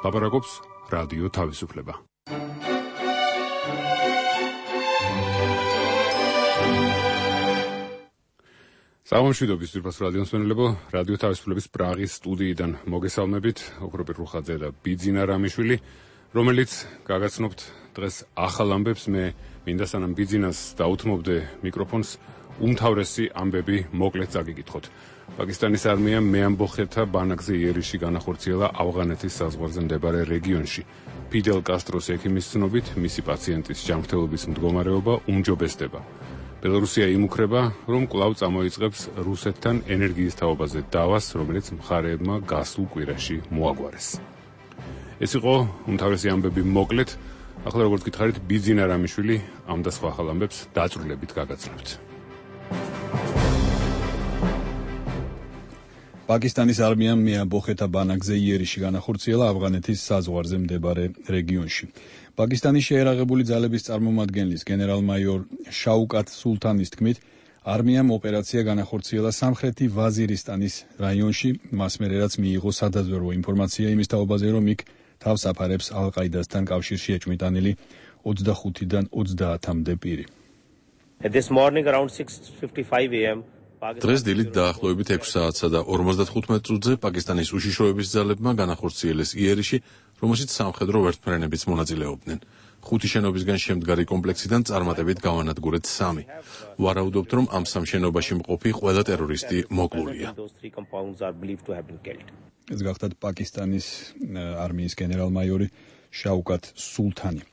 ლაპარაკობს რადიო თავისუფლება. სამშვიდობის ძვირფას რადიოს მსმენელებო, რადიო თავისუფლების პრაღის სტუდიიდან მოგესალმებით, ოქროპირ რუხაძე და ბიძინა რამიშვილი, რომელიც გაგაცნობთ დღეს ახალ ამბებს. მე მინდა სანამ ბიძინას დაუთმობდე მიკროფონს, უმთავრესი ამბები მოკლედ წაგიკითხოთ. პაკისტანის არმიამ მეამბოხეთა ბანაკზე იერიში განახორციელა ავღანეთის საზღვარზე მდებარე რეგიონში. ფიდელ კასტროს ექიმის ცნობით, მისი პაციენტის ჯანმრთელობის მდგომარეობა უმჯობესდება. ბელორუსია იმუქრება, რომ კვლავ წამოიწყებს რუსეთთან ენერგიის თაობაზე დავას, რომელიც მხარეებმა გასულ კვირაში მოაგვარეს. ეს იყო უმთავრესი ამბები მოკლედ. ახლა როგორც გითხარით, ბიძინა რამიშვილი ამ და სხვა ახალ ამბებს დაწვრილებით გაგაცნობთ. პაკისტანის არმიამ მეამბოხეთა ბანაკზე იერიში განახორციელა ავღანეთის საზღვარზე მდებარე რეგიონში. პაკისტანის შეერაღებული ძალების წარმომადგენლის გენერალ-მაიორ შაუკატ სულთანის თქმით, არმიამ ოპერაცია განახორციელა სამხრეთი ვაზირისტანის რაიონში, მას მერე რაც მიიღო სადაზვერვო ინფორმაცია იმის თაობაზე, რომ იქ თავს აფარებს ალ-ყაიდასთან კავშირში ეჭვმიტანილი 25-დან 30-მდე პირი. დღეს დილით დაახლოებით 6 საათსა და 55 წუთზე პაკისტანის უშიშროების ძალებმა განახორციელეს იერიში, რომელშიც სამხედრო ვერტმფრენებიც მონაწილეობდნენ. 5 შენობისგან შემდგარი კომპლექსიდან წარმატებით გავანადგურეთ 3. ვარაუდობთ, რომ ამ სამ შენობაში მყოფი ყველა ტერორისტი მოკლულია. ეს გახლავთ პაკისტანის არმიის გენერალ-მაიორი შაუკატ სულთანი.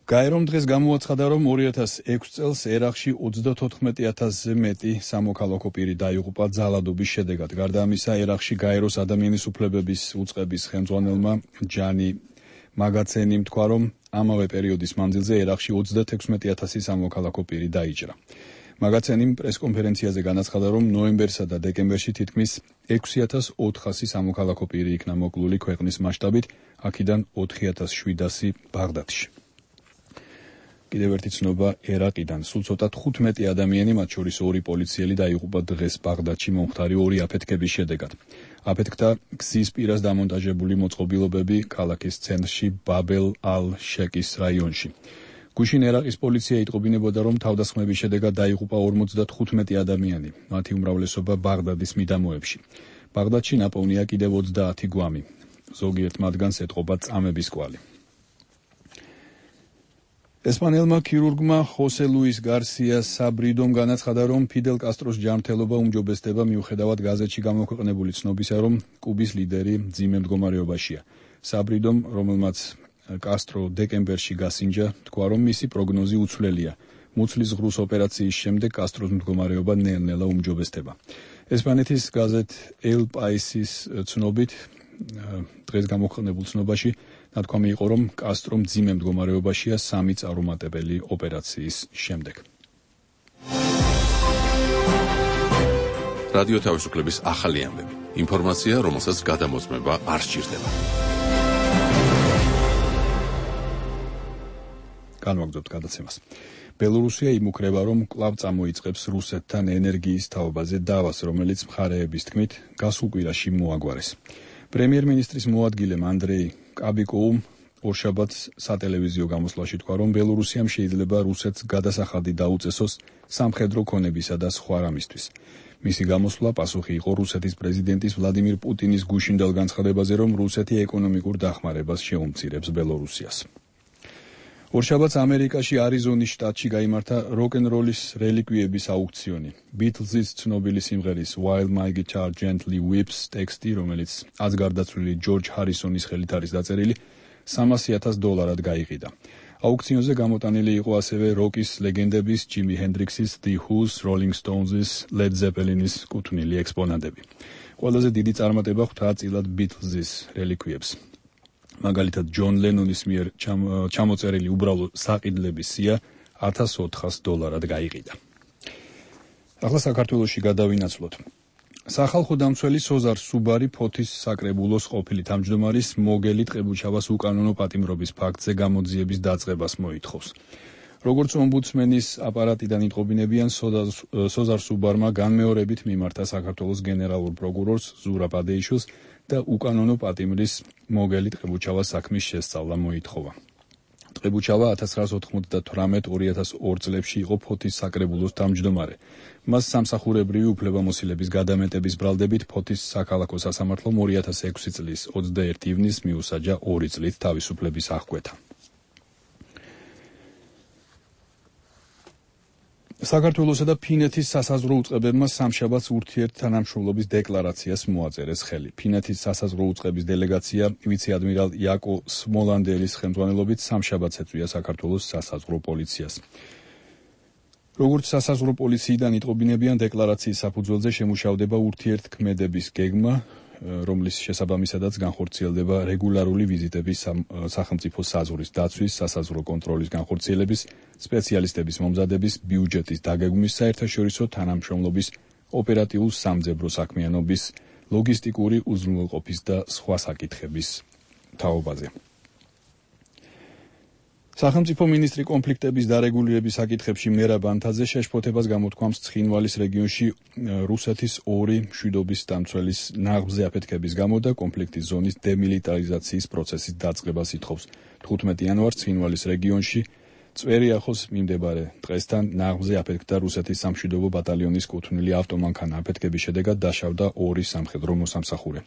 გაერომ დღეს გამოაცხადა, რომ 2006 წელს ერაყში 34,000-ზე მეტი სამოქალაქო პირი დაიღუპა ძალადობის შედეგად. გარდა ამისა, ერაყში გაეროს ადამიანის უფლებების უწყების ხელმძღვანელმა ჯანი მაგაცენიმ თქვა, რომ ამავე პერიოდის მანძილზე ერაყში 36,000 სამოქალაქო პირი დაიჭრა. მაგაცენიმ პრესკონფერენციაზე განაცხადა, რომ ნოემბერსა და დეკემბერში თითქმის 6,400 სამოქალაქო პირი იქნა მოკლული ქვეყნის მასშტაბით, აქედან 4,700 ბაღდადში. კიდევ ერთი ცნობა ერაყიდან. სულ ცოტა 15 ადამიანი, მათ შორის 2 პოლიციელი დაიღუპა დღეს ბაღდადში მომხდარი 2 აფეთქების შედეგად. აფეთქდა გზის პირას დამონტაჟებული მოწყობილობები ქალაქის ცენტრში ბაბელ ალ-შეკის რაიონში. გუშინ ერაყის პოლიცია იტყობინებოდა, რომ თავდასხმების შედეგად დაიღუპა 55 ადამიანი, მათი უმრავლესობა ბაღდადის მიდამოებში. ბაღდადში ნაპოვნია კიდევ 30 გვამი. ზოგიერთ მათგანს ეტყობა წამების კვალი. ესპანელმა ქირურგმა ხოსე ლუის გარსია საბრიდომ განაცხადა, რომ ფიდელ კასტროს ჯანმრთელობა უმჯობესდება მიუხედავად გაზეთში გამოქვეყნებული ცნობისა, რომ კუბის ლიდერი მძიმე მდგომარეობაშია. საბრიდომ, რომელმაც კასტრო დეკემბერში გასინჯა, თქვა, რომ მისი პროგნოზი უცვლელია. მუცლის ღრუს ოპერაციის შემდეგ კასტროს მდგომარეობა ნელ-ნელა უმჯობესდება. ესპანეთის გაზეთ ელ პაისის ცნობით, დღეს გამოქვეყნებულ ცნობაში ნათქვამი იყო, რომ კასტრო მძიმე მდგომარეობაშია 3 წარუმატებელი ოპერაციის შემდეგ. რადიო თავისუფლების ახალი ამბები. ინფორმაცია, რომელსაც გადამოწმება არ სჭირდება. განვაგრძობთ გადაცემას. ბელორუსია იმუქრება, რომ კვლავ წამოიწყებს რუსეთთან ენერგიის თაობაზე დავას, რომელიც მხარეების თქმით გასულ კვირაში მოაგვარეს. პრემიერ-მინისტრის მოადგილემ ანდრეი კაბიკოუმ ორშაბათს სატელევიზიო გამოსვლაში თქვა, რომ ბელორუსიამ შეიძლება რუსეთს გადასახადი დაუწესოს სამხედრო ქონებისა და სხვა რამისთვის. მისი გამოსვლა პასუხი იყო რუსეთის პრეზიდენტის ვლადიმირ პუტინის გუშინდელ განცხადებაზე, რომ რუსეთი ეკონომიკურ დახმარებას შეუმცირებს ბელორუსიას. ორშაბათს ამერიკაში არიზონის შტატში გაიმართა როკ-ენ-როლის რელიკვიების აუქციონი. ბიტლზის ცნობილი სიმღერის While My Guitar Gently Weeps ტექსტი, რომელიც აზგარდაცვლილი ჯორჯ ჰარისონის ხელით არის დაწერილი, $300,000 გაიყიდა. აუქციონზე გამოტანილი იყო ასევე როკის ლეგენდების ჯიმი ჰენდრიქსის, The Who's, Rolling Stones-ის, Led Zeppelin-ის კუთვნილი ექსპონატები. ყველაზე დიდი წარმატება ხვდა წილად ბიტლზის რელიკვიებს. მაგალითად, ჯონ ლენონის მიერ ჩამოწერილი უბრალო საყიდლების სია $1,400 გაიყიდა. ახლა საქართველოში გადავინაცვლოთ. სახალხო დამცველი სოზარ სუბარი ფოთის საკრებულოს ყოფილი თავმჯდომარის მოგელი ტყებუჩავას უკანონო პატიმრობის ფაქტზე გამოძიების დაწყებას მოითხოვს. როგორც ომბუდსმენის აპარატიდან იტყობინებიან, სოზარ სუბარმა განმეორებით მიმართა საქართველოს გენერალურ პროკურორს ზურაბ ადეიშვილს და უკანონო პატიმრის მოგელი ტყებუჩავას საქმის შესწავლა მოითხოვა. ტყებუჩავა 1998-2002 წლებში იყო ფოთის საკრებულოს თავმჯდომარე. მას სამსახურებრივი უფლებამოსილების გადამეტების ბრალდებით ფოთის საქალაქო სასამართლომ 2006 წლის 21 ივნისს მიუსაჯა 2 წლით თავისუფლების აღკვეთა. საქართველოსა და ფინეთის სასაზღვრო უწყებებმა სამშაბათს ურთიერთთანამშრომლობის დეკლარაციას მოაწერეს ხელი. ფინეთის სასაზღვრო უწყების დელეგაცია ვიცე-ადმირალ იაკო სმოლანდელის ხელმძღვანელობით სამშაბათს ეწვია საქართველოს სასაზღვრო პოლიციას. როგორც სასაზღვრო პოლიციიდან იტყობინებიან, დეკლარაციის საფუძველზე შემუშავდება ურთიერთქმედების გეგმა, რომლის შესაბამისადაც განხორციელდება რეგულარული ვიზიტები სახელმწიფო საზღვრის დაცვის, სასაზღვრო კონტროლის განხორციელების, სპეციალისტების მომზადების, ბიუჯეტის დაგეგმვის, საერთაშორისო თანამშრომლობის, ოპერატიულ სამძებრო საქმიანობის, ლოგისტიკური უზრუნველყოფის და სხვა საკითხების თაობაზე. სახელმწიფო მინისტრი კონფლიქტების დარეგულირების საკითხებში მერაბ ანთაძე შეშფოთებას გამოთქვამს ცხინვალის რეგიონში რუსეთის 2 მშვიდობის დამცველის ნაღმზე აფეთქების გამო და კონფლიქტის ზონის დემილიტარიზაციის პროცესის დაწყებას ითხოვს. 15 იანვარს ცხინვალის რეგიონში წვერიახოს მიმდებარე დღესთან ნაღმზე აფეთქდა რუსეთის სამშვიდობო ბატალიონის კუთვნილი ავტომანქანა. აფეთქების შედეგად დაშავდა 2 სამხედრო მოსამსახურე.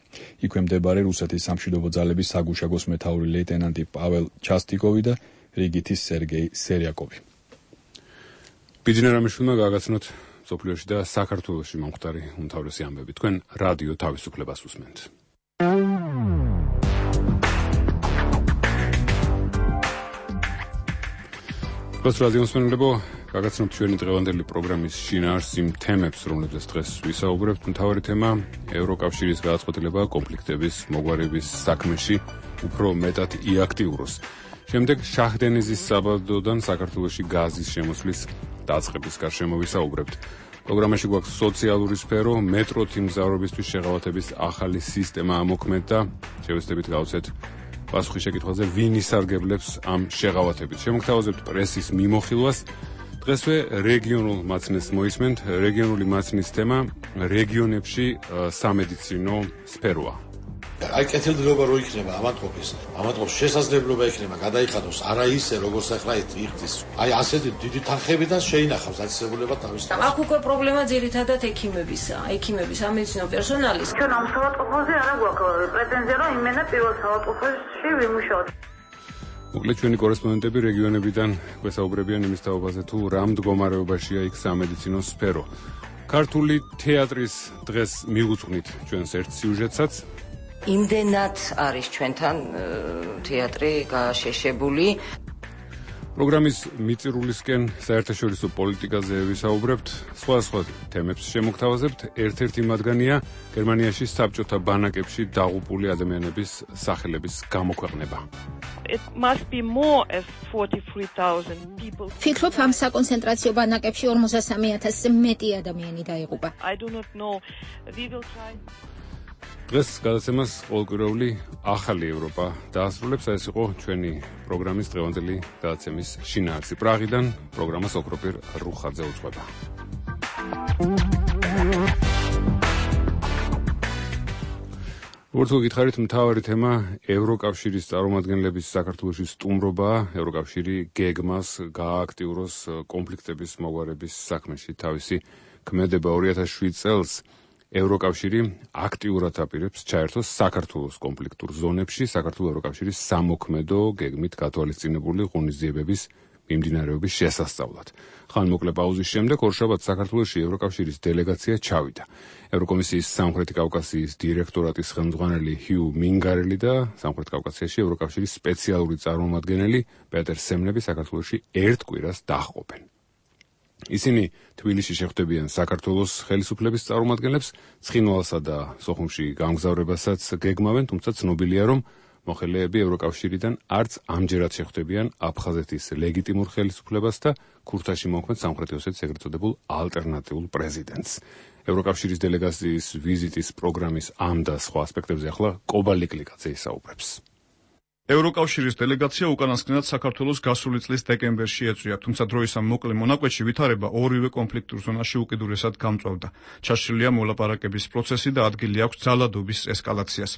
იქვე მდებარე რუსეთის სამშვიდობო ძალების საგუშაგოს მეთაური ლეიტენანტი პაվել ჩასტიკოვი და რიგითის სერგეი სერიაკოვი. ბიძინა რამიშვილმა გააგაცნოთ სოფლიოში და საქართველოში მომხდარი უმთავრესი ამბები. თქვენ რადიო თავისუფლებას უსმენთ. ეს რადიო მსმენელებო, გააგაცნობთ ჩვენი დღევანდელი პროგრამის შინაარსს იმ თემებს, რომლებზეც დღეს ვისაუბრებთ. მთავარი თემა ევროკავშირის გადაწყვეტილება კონფლიქტების მოგვარების საქმეში უფრო მეტად იაქტიუროს. შემდეგ შაჰდენიზის საბადოდან საქართველოში გაზის შემოსვლის დაწყების გარშემო ვისაუბრებთ. პროგრამაში გვაქვს სოციალური სფერო, მეტროთი მგზავრობისთვის შეღავათების ახალი სისტემა ამოქმედდა. შევეცდებით გავცეთ პასუხი შეკითხვაზე, ვინ ისარგებლებს ამ შეღავათებით. შემოგთავაზებთ პრესის მიმოხილვას. დღესვე რეგიონულ მაცნეს მოისმენთ. რეგიონული მაცნის თემა რეგიონებში სამედიცინო სფეროა. აი კეთილდღეობა რო იქნება ამათყოფის შესაძლებლობა იქნება გადაიხადოს არა ისე როგორც ახლა იხდის. აი ასეთი დიდი თანხებიდან შეინახავს დაწესებულება თავის. აქ უკვე პრობლემა ძირითადად ექიმებისაა. ექიმების სამედიცინო პერსონალის. ჩვენ ამ საავადმყოფოზე არა გვაქვს პრეტენზია, რომ იმენა პირველ საავადმყოფოში ვიმუშაოთ. მოკლედ ჩვენი კორესპონდენტები რეგიონებიდან გვესაუბრებიან იმის თაობაზე, თუ რა მდგომარეობაშია იქ სამედიცინო სფერო. ქართული თეატრის დღეს მიუძღვნით ჩვენს ერთ სიუჟეტსაც. იმდენად არის ჩვენთან თეატრი გაშეშებული. პროგრამის მიწირულისკენ საერთაშორისო პოლიტიკაზე ვისაუბრებთ, სხვა თემებს შემოგთავაზებთ. ერთ-ერთი მათგანია გერმანიაში საბჭოთა ბანაკებში დაღუპული ადამიანების სახელების გამოქვეყნება. It must be more as 43,000 people. ფიქრობ ამ საკონცენტრაციო ბანაკებში 43,000-ზე მეტი ადამიანი დაიღუპა. I do not know. We will try. დღეს გადაცემას ყოველკვირეული ახალი ევროპა დაასრულებს. ეს იყო ჩვენი პროგრამის დღევანდელი გადაცემის შინაარსი. პრაღიდან პროგრამას ოქროპირ რუხაძე უძღვება. როგორც გითხარით, მთავარი თემა ევროკავშირის წარმომადგენლების საქართველოში სტუმრობაა. ევროკავშირი გეგმას გაააქტიუროს კონფლიქტების მოგვარების საქმეში თავისი ქმედება 2007 წელს. ევროკავშირი აქტიურად აპირებს ჩაერთოს საქართველოს კონფლიქტურ ზონებში საქართველოს ევროკავშირის სამოქმედო გეგმით გათვალისწინებული ღონისძიებების მიმდინარეობის შესასწავლად. ხანმოკლე პაუზის შემდეგ ორშაბათს საქართველოში ევროკავშირის დელეგაცია ჩავიდა. ევროკომისიის სამხრეთი კავკასიის დირექტორატის ხელმძღვანელი ჰიუ მინგარელი და სამხრეთ კავკასიაში ევროკავშირის სპეციალური წარმომადგენელი პეტერ სემნები საქართველოში ერთ კვირას დაჰყოფენ. ისინი თბილისში შეხვდებიან საქართველოს ხელისუფლების წარმომადგენლებს, ცხინვალსა და სოხუმში გამგზავრებასაც გეგმავენ, თუმცა ცნობილია, რომ მოხელეები ევროკავშირიდან არც ამჯერად შეხვდებიან აფხაზეთის ლეგიტიმურ ხელისუფლებას და ქურთაში მოქმედ სამხრეთი ოსეთის ეგრეთ წოდებულ ალტერნატიულ პრეზიდენტს. ევროკავშირის დელეგაციის ვიზიტის პროგრამის ამ და სხვა ასპექტებზე ახლა კობალი კლიკაძე ისაუბრებს. ევროკავშირის დელეგაცია უკანასკნელად საქართველოს გასული წლის დეკემბერში ეწვია, თუმცა დროის ამ მოკლე მონაკვეთში ვითარება ორივე კონფლიქტურ ზონაში უკიდურესად გამწვავდა. ჩაშლილია მოლაპარაკების პროცესი და ადგილი აქვს ძალადობის ესკალაციას.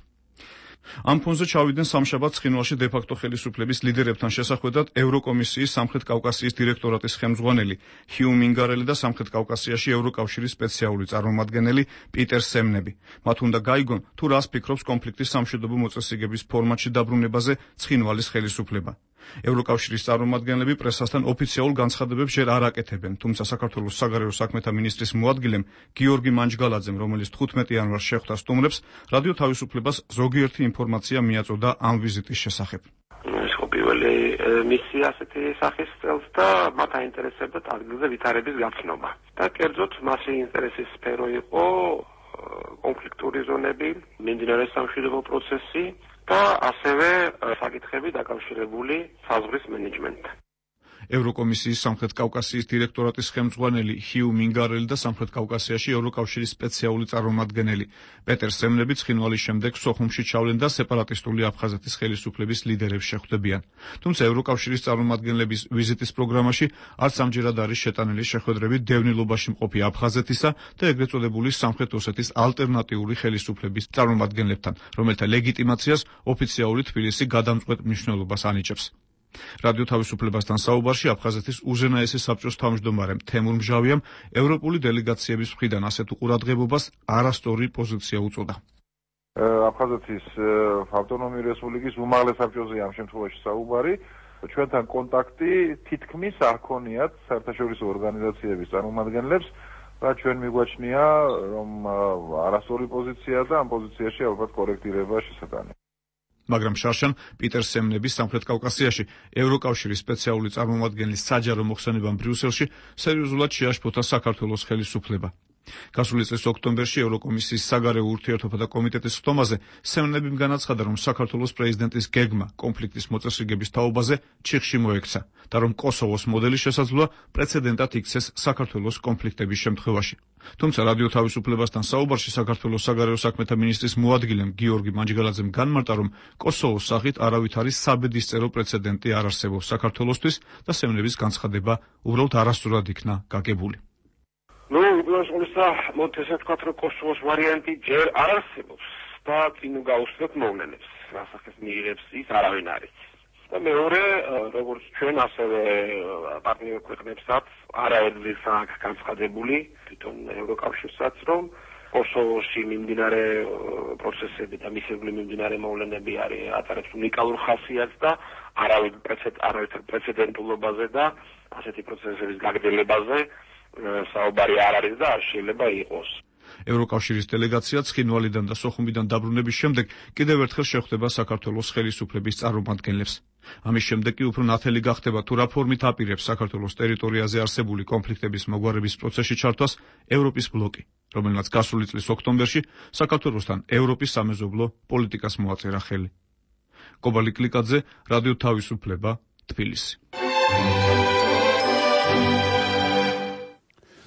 ამ ფონზე ჩავიდნენ სამშაბათს ცხინვალში დე-ფაქტო ხელისუფლების ლიდერებთან შესახვედრად ევროკომისიის სამხრეთ კავკასიის დირექტორატის ხელმძღვანელი ჰიუ მინგარელი და სამხრეთ კავკასიაში ევროკავშირის სპეციალური წარმომადგენელი პიტერ სემნები. მათ უნდა გაიგონ, თუ რას ფიქრობს კონფლიქტის სამშვიდობო მოწესრიგების ფორმატში დაბრუნებაზე ცხინვალის ხელისუფლება. ევროკავშირის წარმომადგენლები პრესასთან ოფიციალურ განცხადებებს ჯერ არ აკეთებენ, თუმცა საქართველოს საგარეო საქმეთა მინისტრის მოადგილემ გიორგი მანჯგალაძემ, რომელიც 15 იანვარს შეხვდა სტუმრებს, რადიო თავისუფლებას ზოგიერთი ინფორმაცია მიაწოდა ამ ვიზიტის შესახებ. ეს ხო პირველი მისია ასეთი სახის წელს და მათ აინტერესებდათ ადგილზე ვითარების გაცნობა. და კერძოდ მასი ინტერესის სფერო იყო კონფლიქტური ზონები, მიმდინარე სამშვიდობო პროცესი და ასევე საკითხები დაკავშირებული საზღვრის მენეჯმენტთან. ევროკომისიის სამხრეთ კავკასიის დირექტორატის ხელმძღვანელი ჰიუ მინგარელი და სამხრეთ კავკასიაში ევროკავშირის სპეციალური წარმომადგენელი პეტერ სემნები ცხინვალის შემდეგ სოხუმში ჩავლენ და სეპარატისტული აფხაზეთის ხელისუფლების ლიდერებს შეხვდებიან. თუმცა ევროკავშირის წარმომადგენლების ვიზიტის პროგრამაში არც ამჯერად არის შეტანილი შეხვედრები დევნილობაში მყოფი აფხაზეთისა და ეგრეთ წოდებული სამხრეთ ოსეთის ალტერნატიული ხელისუფლების წარმომადგენლებთან, რომელთა ლეგიტიმაციას ოფიციალური თბილისი გადამწყვეტ მნიშვნელობას ანიჭებს. რადიო თავისუფლებასთან საუბარში აფხაზეთის უზენაესი საბჭოს თავმჯდომარემ თემურ მჟავიამ ევროპული დელეგაციების მხრიდან ასეთ ყურადღებობას არასწორი პოზიცია უწოდა. აფხაზეთის ავტონომიური რესპუბლიკის უმაღლეს საბჭოზე ამ შემთხვევაში საუბარი, ჩვენთან კონტაქტი თითქმის არ ქონიათ საერთაშორისო ორგანიზაციების წარმომადგენლებს და ჩვენ მიგვაჩნია, რომ არასწორი პოზიცია და ამ პოზიციაში ალბათ კორექტირება შესაძლოა. მაგრამ შარშან პიტერ სემნების სამხრეთ კავკასიაში ევროკავშირის სპეციალური წარმომადგენლის საჯარო მოხსენებამ ბრიუსელში სერიოზულად შეაშფოთა საქართველოს ხელისუფლება. გასული წლის ოქტომბერში ევროკომისიის საგარეო ურთიერთობათა კომიტეტის ხტომაზე სემნებიმ განაცხადა, რომ საქართველოს პრეზიდენტის გეგმა კონფლიქტის მოწესრიგების თაობაზე ჩიხში მოექცა და რომ კოსოვოს მოდელი შესაძლოა პრეცედენტად იქცეს საქართველოს კონფლიქტების შემთხვევაში. თუმცა რადიო თავისუფლებასთან საუბარში საქართველოს საგარეო საქმეთა მინისტრის მოადგილემ გიორგი მანჯგალაძემ განმარტა, რომ კოსოვოს სახით არავითარი საბედისწერო პრეცედენტი არ არსებობს საქართველოსთვის და სემნების განცხადება უბრალოდ არასწორად იქნა გაგებული. მოთ ესე ვთქვათ, რომ კოსოვოს ვარიანტი ჯერ არ არსებობს და წინ გაუსწრებთ მოვლენებს, რასახეს მიიღებს ის არავინ არ იცის. და მეორე, როგორც ჩვენ, ასევე პარტნიორ ქვეყნებსაც არაერთგზის აქვს განცხადებული, თვითონ ევროკავშირსაც, რომ კოსოვოში მიმდინარე პროცესები და მისებული მიმდინარე მოვლენები არის ატარებს უნიკალურ ხასიათს და არავითარ პრეცედენტულობაზე და ასეთი პროცესების გაგრძელებაზე საუბარი არ არის და არ შეიძლება იყოს. ევროკავშირის დელეგაცია ცხინვალიდან და სოხუმიდან დაბრუნების შემდეგ კიდევ ერთხელ შეხვდება საქართველოს ხელისუფლების წარმომადგენლებს. ამის შემდეგ კი უფრო ნათელი გახდება, თუ რა ფორმით აპირებს საქართველოს ტერიტორიაზე არსებული კონფლიქტების მოგვარების პროცესში ჩართვას ევროპის ბლოკი, რომელმაც გასული წლის ოქტომბერში საქართველოსთან ევროპის სამეზობლო პოლიტიკას მოაწერა ხელი. კობალი კლიკაძე, რადიო თავისუფლება, თბილისი.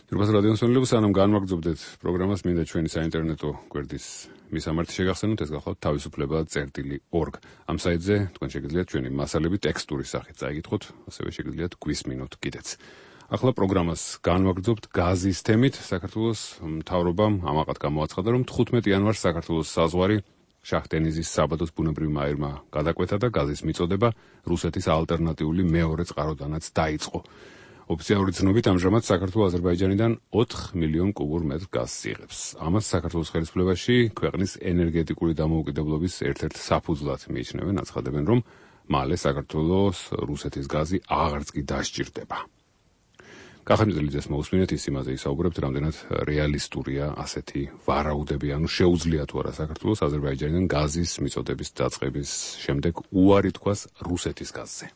Turpas radion sonlebus anam განვაგრძობდეთ პროგრამას, მინდა ჩვენი საინტერნეტო გვერდის მისამართი შეგახსენოთ, ეს გახლავთ თავისუფლება.org. ამ საიტზე თქვენ შეგიძლიათ ჩვენი მასალები ტექსტური სახით წაიკითხოთ, ასევე შეგიძლიათ გვისმინოთ კიდეც. ახლა პროგრამას განვაგრძობთ გაზის თემით. საქართველოს მთავრობამ ამაყად გამოაცხადა, რომ 15 იანვარს საქართველოს საზღვარი შაჰ-დენიზის საბადოს ბუნებრივმა აირმა გადაკვეთა და გაზის მიწოდება რუსეთის ალტერნატიული მეორე წყაროდანაც დაიწყო. ოფიციალური ცნობით ამჟამად საქართველოს აზერბაიჯანიდან 4 მილიონ კუბურ მეტრ გაზს იღებს. ამას საქართველოს ხელისუფლებაში ქვეყნის ენერგეტიკული დამოუკიდებლობის ერთ-ერთ საფუძვლად მიიჩნევენ, აცხადებენ, რომ მალე საქართველოს რუსეთის გაზი აღარც კი დასჭირდება. კახემძლიძეს მოусმინეთ, ის იმაზე ისაუბრებთ, რამდენად რეალისტურია ასეთი ვარაუდები, ანუ შეუძლია თუ არა საქართველოს აზერბაიჯანიდან გაზის მიწოდების დაწყების შემდეგ უარი თქვას რუსეთის გაზზე.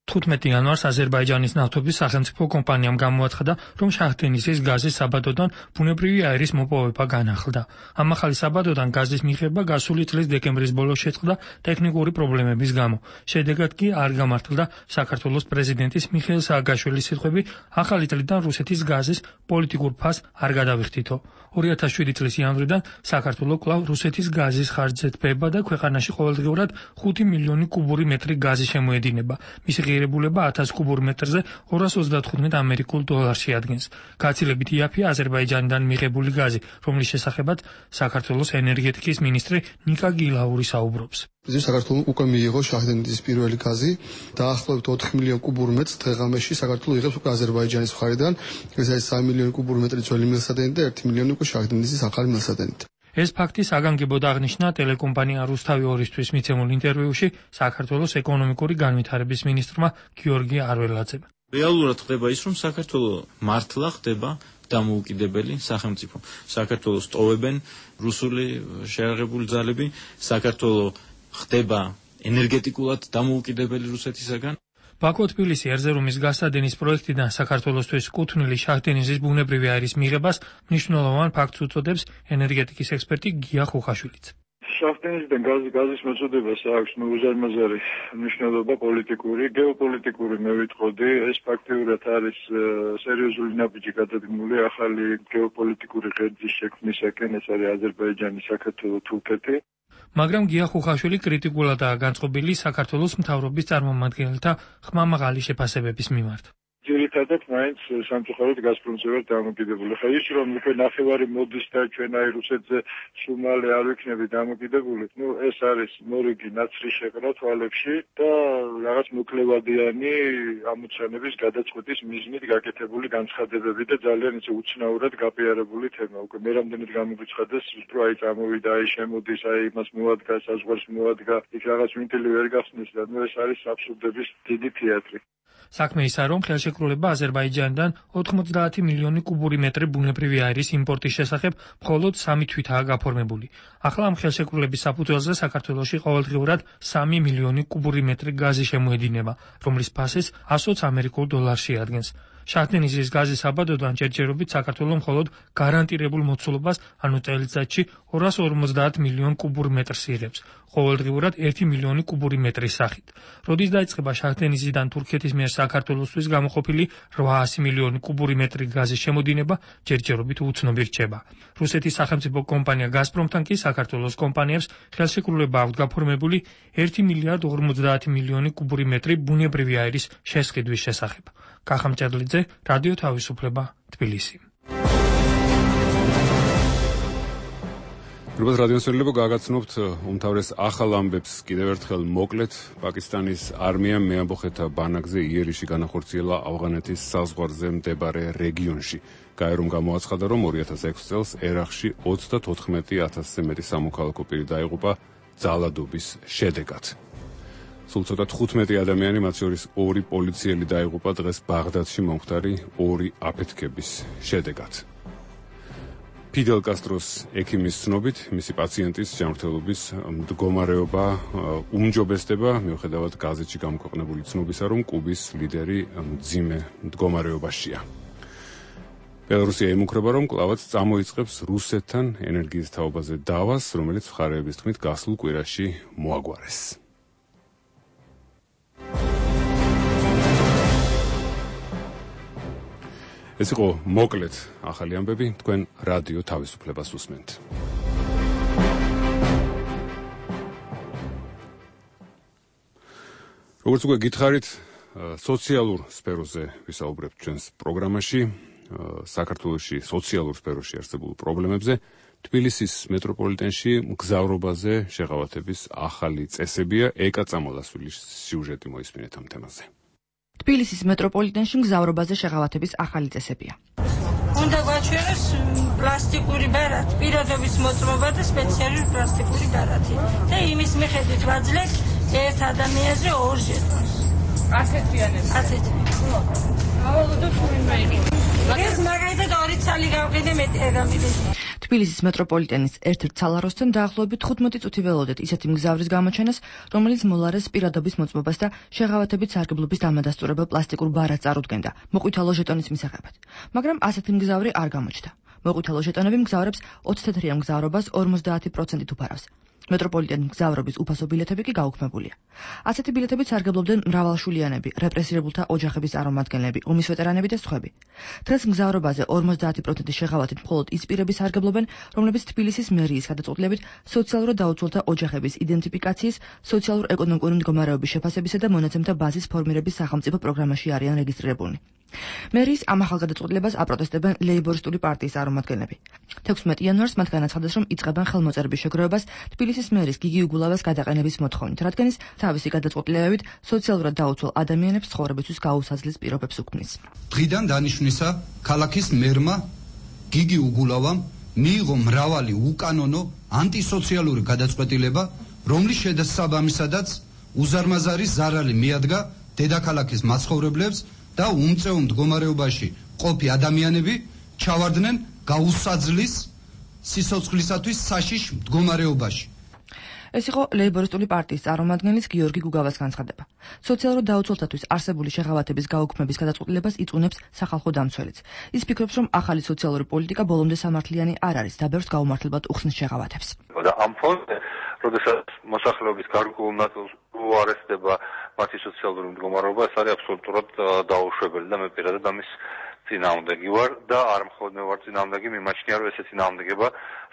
15 იანვარს აზერბაიჯანის ნავთობის სახელმწიფო კომპანიამ გამოაცხადა, რომ შაჰ-დენიზის გაზის საბადოდან ბუნებრივი აირის მოპოვება განახლდა. ამ ახალი საბადოდან გაზის მიღება გასული წლის დეკემბრის ბოლოს შეწყდა ტექნიკური პრობლემების გამო. შედეგად კი არ გამართლდა საქართველოს პრეზიდენტის მიხეილ სააკაშვილის სიტყვები, ახალი წლიდან რუსეთის გაზის პოლიტიკურ ფასს არ გადავიხდითო. 2007 წლის იანვრიდან საქართველო კვლავ რუსეთის გაზის ხარჯზე თბება და ქვეყანაში ყოველდღიურად 5 მილიონი კუბური მეტრი გაზი შემოედინება. მისი გაძლიერებულება 1000 კუბურ მეტრზე 235 ამერიკულ დოლარში ადგენს. გაცილებით იაფია აზერბაიჯანიდან მიღებული გაზი, რომლის შესახებაც საქართველოს ენერგეტიკის მინისტრი ნიკა გილაური საუბრობს. საქართველოს უკვე მიიღო შაჰდენიძის პირველი გაზი, დაახლოებით 4 მილიონ კუბურ მეტრს დღე-ღამეში საქართველოს იღებს უკვე აზერბაიჯანის მხარიდან. ეს არის 3 მილიონი კუბურ მეტრი ძველი მილსადენი და 1 მილიონი უკვე შაჰდენიძის ახალი მილსადენით. ეს ფაქტი საგანგებოდ აღნიშნა ტელეკომპანია რუსთავი 2-ისთვის მიცემულ ინტერვიუში საქართველოს ეკონომიკური განვითარების მინისტრმა გიორგი არველაძემ. რეალურად ხდება ის, რომ საქართველოს მართლა ხდება დამოუკიდებელი სახელმწიფო. საქართველოს ტოვებენ რუსული შეიარაღებული ძალები, საქართველოს ხდება ენერგეტიკულად დამოუკიდებელი რუსეთისაგან. ბაქო-თბილისი ერზერუმის გასადენის პროექტიდან საქართველოსთვის კუთვნილი შაჰდენიზის ბუნებრივი აირის მიღებას მნიშვნელოვან ფაქტს უწოდებს ენერგეტიკის ექსპერტი გია ხუხაშვილიც. შაჰდენიზიდან გაზის მოწოდებას აქვს უზარმაზარი მნიშვნელობა პოლიტიკური, გეოპოლიტიკური მე ვიტყოდი, ეს ფაქტიურად არის სერიოზული ნაბიჯი გადადგმული ახალი გეოპოლიტიკური ღერძის შექმნისაკენ, ეს არის აზერბაიჯანი, საქართველო, თურქეთი. მაგრამ გია ხუხაშვილი კრიტიკულადაა განწყობილი საქართველოს მთავრობის წარმომადგენელთა ხმამაღალი შეფასებების მიმართ. ძირითადად მაინც სამწუხაროდ გაზპრომზე ვარ დამოკიდებული. ხა ის რომ უკვე ნახევარი მოდის და ჩვენ აი რუსეთზე სუმალე არ ვიქნები დამოკიდებული, ეს არის მორიგი ნაცრი შეყრა თვალებში და რაღაც მოკლევადიანი ამოცანების გადაწყვეტის მიზნით გაკეთებული განცხადებები და ძალიან ისე უცნაურად გაპიარებული თემა. უკვე მე რამდენად გამოგვიცხადეს, რომ აი წამოვიდა, აი შემოდის, აი იმას მოადგა, საზღვარს მოადგა, იქ რაღაც ვინტილი ვერ გახსნის და ეს არის აბსურდების დიდი თეატრი. საქმე ისაა, რომ ხელშეკრულება აზერბაიჯანიდან 90 მილიონი კუბური მეტრი ბუნებრივი აირის იმპორტის შესახებ მხოლოდ 3 თვითაა გაფორმებული. ახლა ამ ხელშეკრულების საფუძველზე საქართველოში ყოველდღიურად 3 მილიონი კუბური მეტრი გაზი შემოედინება, რომლის ფასიც 120 ამერიკულ დოლარში ადგენს. შაჰდენიზის გაზის საბადოდან ჯერჯერობით საქართველო მხოლოდ გარანტირებულ მოცულობას, ანუ წელიწადში 250 მილიონ კუბურ მეტრს იღებს, ყოველდღიურად 1 მილიონი კუბური მეტრის სახით. როდის დაიწყება შაჰდენიზიდან თურქეთის მიერ საქართველოსთვის გამოყოფილი 800 მილიონი კუბური მეტრი გაზის შემოდინება, ჯერჯერობით უცნობი რჩება. რუსეთის სახელმწიფო კომპანია გაზპრომთან კი საქართველოს კომპანიებს ხელშეკრულება აქვთ გაფორმებული 1 მილიარდ 50 მილიონი კუბური მეტრი ბუნებრივი აირის შესყიდვის შესახებ. კახამჭედლიძე, რადიო თავისუფლება, თბილისი. რუბათ რადიოსელებო გაგაცნობთ უმთავრეს ახალ ამბებს კიდევ ერთხელ მოკლედ. პაკისტანის არმიამ მეამბოხეთა ბანაკზე იერიში განახორციელა ავღანეთის საზღვარზე მდებარე რეგიონში. გაერომ გამოაცხადა, რომ 2006 წელს ერაყში 34,000-ზე მეტი სამოქალაქო პირი დაიღუპა ძალადობის შედეგად. სულ ცოტა 15 ადამიანი, მათ შორის 2 პოლიციელი დაიღუპა დღეს ბაღდადში მომხდარი 2 აფეთქების შედეგად. ფიდელ კასტროს ექიმის ცნობით, მისი პაციენტის ჯანმრთელობის მდგომარეობა უმჯობესდება, მიუხედავად გაზეთში გამოქვეყნებული ცნობისა, რომ კუბის ლიდერი მძიმე მდგომარეობაშია. ბელარუსია იმუქრება, რომ კვლავაც წამოიწყებს რუსეთთან ენერგიის თაობაზე დავას, რომელიც მხარეების თქმით გასულ კვირაში მოაგვარეს. ეს იყო მოკლედ ახალი ამბები, თქვენ რადიო თავისუფლებას უსმენთ. როგორც უკვე გითხარით, სოციალურ სფეროზე ვისაუბრებთ ჩვენს პროგრამაში, საქართველოში სოციალურ სფეროში არსებულ პრობლემებზე, თბილისის მეტროპოლიტენში მგზავრობაზე შეღავათების ახალი წესებია. ეკა წამოლასვილი სიუჟეტი მოისმინეთ ამ თემაზე. თბილისის მეტროპოლიტენში მგზავრობაზე შეღავათების ახალი წესებია. უნდა გვაჩვენოს პლასტიკური ბარათი, პირადობის მოწმობა და სპეციალური პლასტიკური ბარათი. და იმის მიხედვით ვაძლევთ ერთ ადამიანზე 2 ჟეტონს. ასეთიანებს. ასეთი. ავალოდოთ ვინმე. ეს მაგალითად 2 ცალი გავყიდე მეტი ადამიანი. თბილისის მეტროპოლიტენის ერთ-ერთ ცალაროსთან დაახლოებით 15 წუთი ველოდეთ ისეთი მგზავრის გამოჩენას, რომელიც მოლარეს პირადობის მოწმობას და შეღავათებით სარგებლობის დამადასტურებელ პლასტიკურ ბარათს წარუდგენდა მოყვითალო ჟეტონის მისაღებად. მაგრამ ასეთი მგზავრი არ გამოჩნდა. მოყვითალო ჟეტონები მგზავრებს 20 თეთრიან მგზავრობას 50% უფარავს. მეტროპოლიტენ მგზავრობის უფასო ბილეთები კი გაუქმებულია. ასეთი ბილეთებით სარგებლობდნენ მრავალშვილიანები, რეპრესირებულთა ოჯახების წარმომადგენლები, ომის ვეტერანები და სხვები. დღეს მგზავრობაზე 50% შეღავათით მხოლოდ ის პირები სარგებლობენ, რომლებიც თბილისის მერიის გადაწყვეტილებით სოციალურად დაუცველთა ოჯახების იდენტიფიკაციის, სოციალურ-ეკონომიკური მდგომარეობის შეფასებისა და მონაცემთა ბაზის ფორმირების სახელმწიფო პროგრამაში არიან რეგისტრირებულნი. მერიის ამ ახალ გადაწყვეტილებას აპროტესტებენ ლეიბორისტული პარტიის წარმომადგენლები. 16 იანვარს მათ განაცხადეს, რომ იწყებენ ხელმოწერების შეგროვებას თბილისის მერის გიგი უგულავას გადაყენების მოთხოვნით, რადგან ის თავისი გადაწყვეტილებებით სოციალურად დაუცველ ადამიანებს ცხოვრებისთვის გაუსაძლეს პირობებს უქმნის. დღიდან დანიშვნისა ქალაქის მერმა გიგი უგულავამ მიიღო მრავალი უკანონო ანტისოციალური გადაწყვეტილება, რომლის შესაბამისადაც უზარმაზარი ზარალი მიადგა დედაქალაქის მაცხოვრებლებს და უმწეო მდგომარეობაში ყოფი ადამიანები ჩავარდნენ გაუსაძლის სიცოცხლისათვის საშიშ მდგომარეობაში. ეს იყო ლეიბორისტული პარტიის წარმომადგენლის გიორგი გუგავას განცხადება. სოციალურად დაუცველთათვის არსებული შეღავათების გაუქმების გადაწყვეტილებას იწუნებს სახალხო დამცველიც. ის ფიქრობს, რომ ახალი სოციალური პოლიტიკა ბოლომდე სამართლიანი არ არის და ბევრს გაუმართლებლად უხსნის შეღავათებს. და ამ ფონზე, როდესაც მოსახლეობის გარკვეულ ნაწილს უარესდება მათი სოციალური მდგომარეობა, ეს არის აბსოლუტურად დაუშვებელი და მე პირადად ამის წინააღმდეგი ვარ და არ მხოლოდ მე ვარ წინააღმდეგი, მიმაჩნია, რომ ესე წინააღმდეგება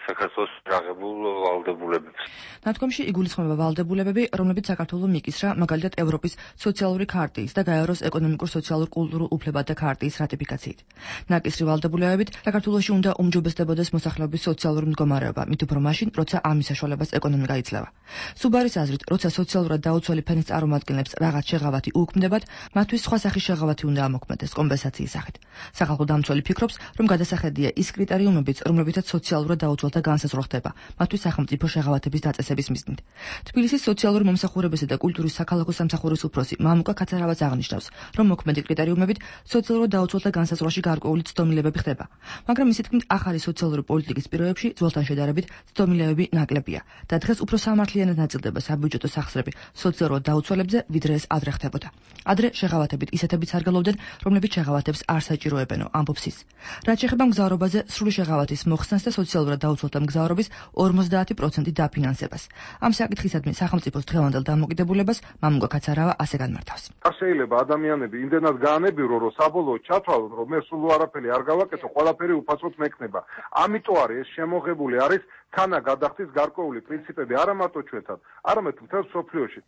საქართველოს აღებულ ვალდებულებებს. ნათქვამში იგულისხმება ვალდებულებები, რომლებიც საქართველოს მიკისრა, მაგალითად ევროპის სოციალური ქარტიის და გაეროს ეკონომიკურ-სოციალურ-კულტურულ უფლებათა ქარტიის რატიფიკაციით. ნაკისრი ვალდებულებებით საქართველოში უნდა უმჯობესდებოდეს მოსახლეობის სოციალური მდგომარეობა, მით უფრო მაშინ, როცა ამის საშუალებას ეკონომიკა იძლევა. სუბარის აზრით, როცა სოციალურად დაუცველი ფენის წარმომადგენლებს რაღაც შეღავათი უქმდებათ, მათთვის სხვა სახის შეღავათი უნდა ამოქმედდეს კომპენსაციის სახით. სახალხო დამცველი ფიქრობს, რომ გადასახედია ის კრიტერიუმებიც, რომლებითაც სოციალურად დაუცველთა განსაზღვრა ხდება, მათთვის სახელმწიფო შეღავათების დაწესების მიზნით. თბილისის სოციალური მომსახურებისა და კულტურის საქალაქო სამსახურის უფროსი მამუკა ქაცარავაც აღნიშნავს, რომ მოქმედი კრიტერიუმებით სოციალურად დაუცველთა განსაზღვრაში გარკვეული ცდომილებები ხდება, მაგრამ მისი თქმით, ახალი სოციალური პოლიტიკის პირობებში ძველთან შედარებით ცდომილებები ნაკლებია და დღეს უფრო სამართლიანად ნაწილდება საბიუჯეტო სახსრები სოციალურად დაუცველებზე, ვიდრე ეს ადრე ხდებოდა. ადრე შეღავათებით ისეთებიც სარგებლობდნენ, რომლებიც შეღავათებს არ საჭიროებენო, ამბობს ის. რაც შეეხება მგზავრობაზე სრული შეღავათის მოხსნას და სოციალურად დაუცველთა მგზავრობის 50% დაფინანსებას. ამ საკითხისადმი სახელმწიფოს დღევანდელ დამოკიდებულებას მამუკა ქაცარავა ასე განმარტავს. არ შეიძლება ადამიანები იმდენად გაანებირო, რომ საბოლოოდ ჩათვალონ, რომ მე სულ არაფერი არ გავაკეთო, ყველაფერი უფასოდ მექნება. ამიტომ არის ეს შემოღებული არის თანა გადახდის გარკვეული პრინციპები არა მარტო ჩვენთან, არამედ მთელ მსოფლიოში.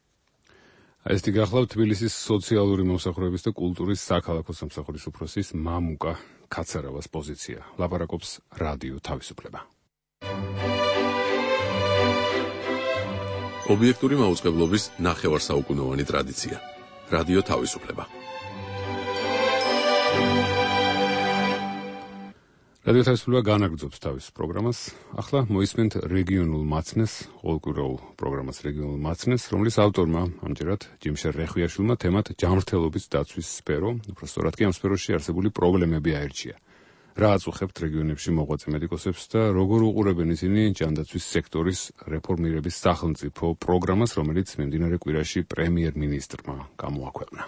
ეს გახლავთ თბილისის სოციალური მომსახურების და კულტურის საქალაქო სამსახურის უფროსის მამუკა ქაცარავას პოზიცია. ლაპარაკობს რადიო თავისუფლება. ობიექტური მაუწყებლობის ნახევარსაუკუნოვანი ტრადიცია. რადიო თავისუფლება. რადიო თავისუფლება განაგრძობს თავის პროგრამას. ახლა მოისმენთ რეგიონულ მაცნეს, ყოველკვირეულ პროგრამას რეგიონულ მაცნეს, რომლის ავტორმა ამჯერად ჯიმშერ რეხვიაშვილმა თემად ჯანმრთელობის დაცვის სფერო, უფრო სწორად კი ამ სფეროში არსებული პრობლემები აირჩია. რა აწუხებთ რეგიონებში მოღვაწე მედიკოსებს და როგორ უყურებენ ისინი ჯანდაცვის სექტორის რეფორმირების სახელმწიფო პროგრამას, რომელიც მიმდინარე კვირაში პრემიერ-მინისტრმა გამოაქვეყნა.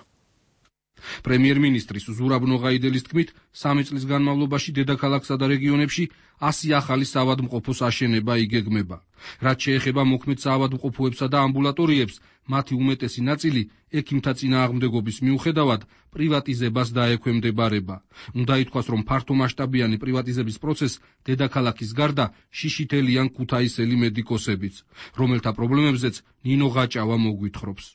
პრემიერ-მინისტრის ზურაბ ნოღაიდელის თქმით, 3 წლის განმავლობაში დედაქალაქსა და რეგიონებში 100 ახალი საავადმყოფოს აშენება იგეგმება. რაც შეეხება მოქმედ საავადმყოფოებსა და ამბულატორიებს, მათი უმეტესი ნაწილი ექიმთა წინააღმდეგობის მიუხედავად პრივატიზებას დაექვემდებარება. უნდა ითქვას, რომ ფართომასშტაბიანი პრივატიზების პროცესს დედაქალაქის გარდა შიშითელიან ქუთაისელი მედიკოსებიც, რომელთა პრობლემებზეც ნინო ღაჭავა მოგვითხრობს.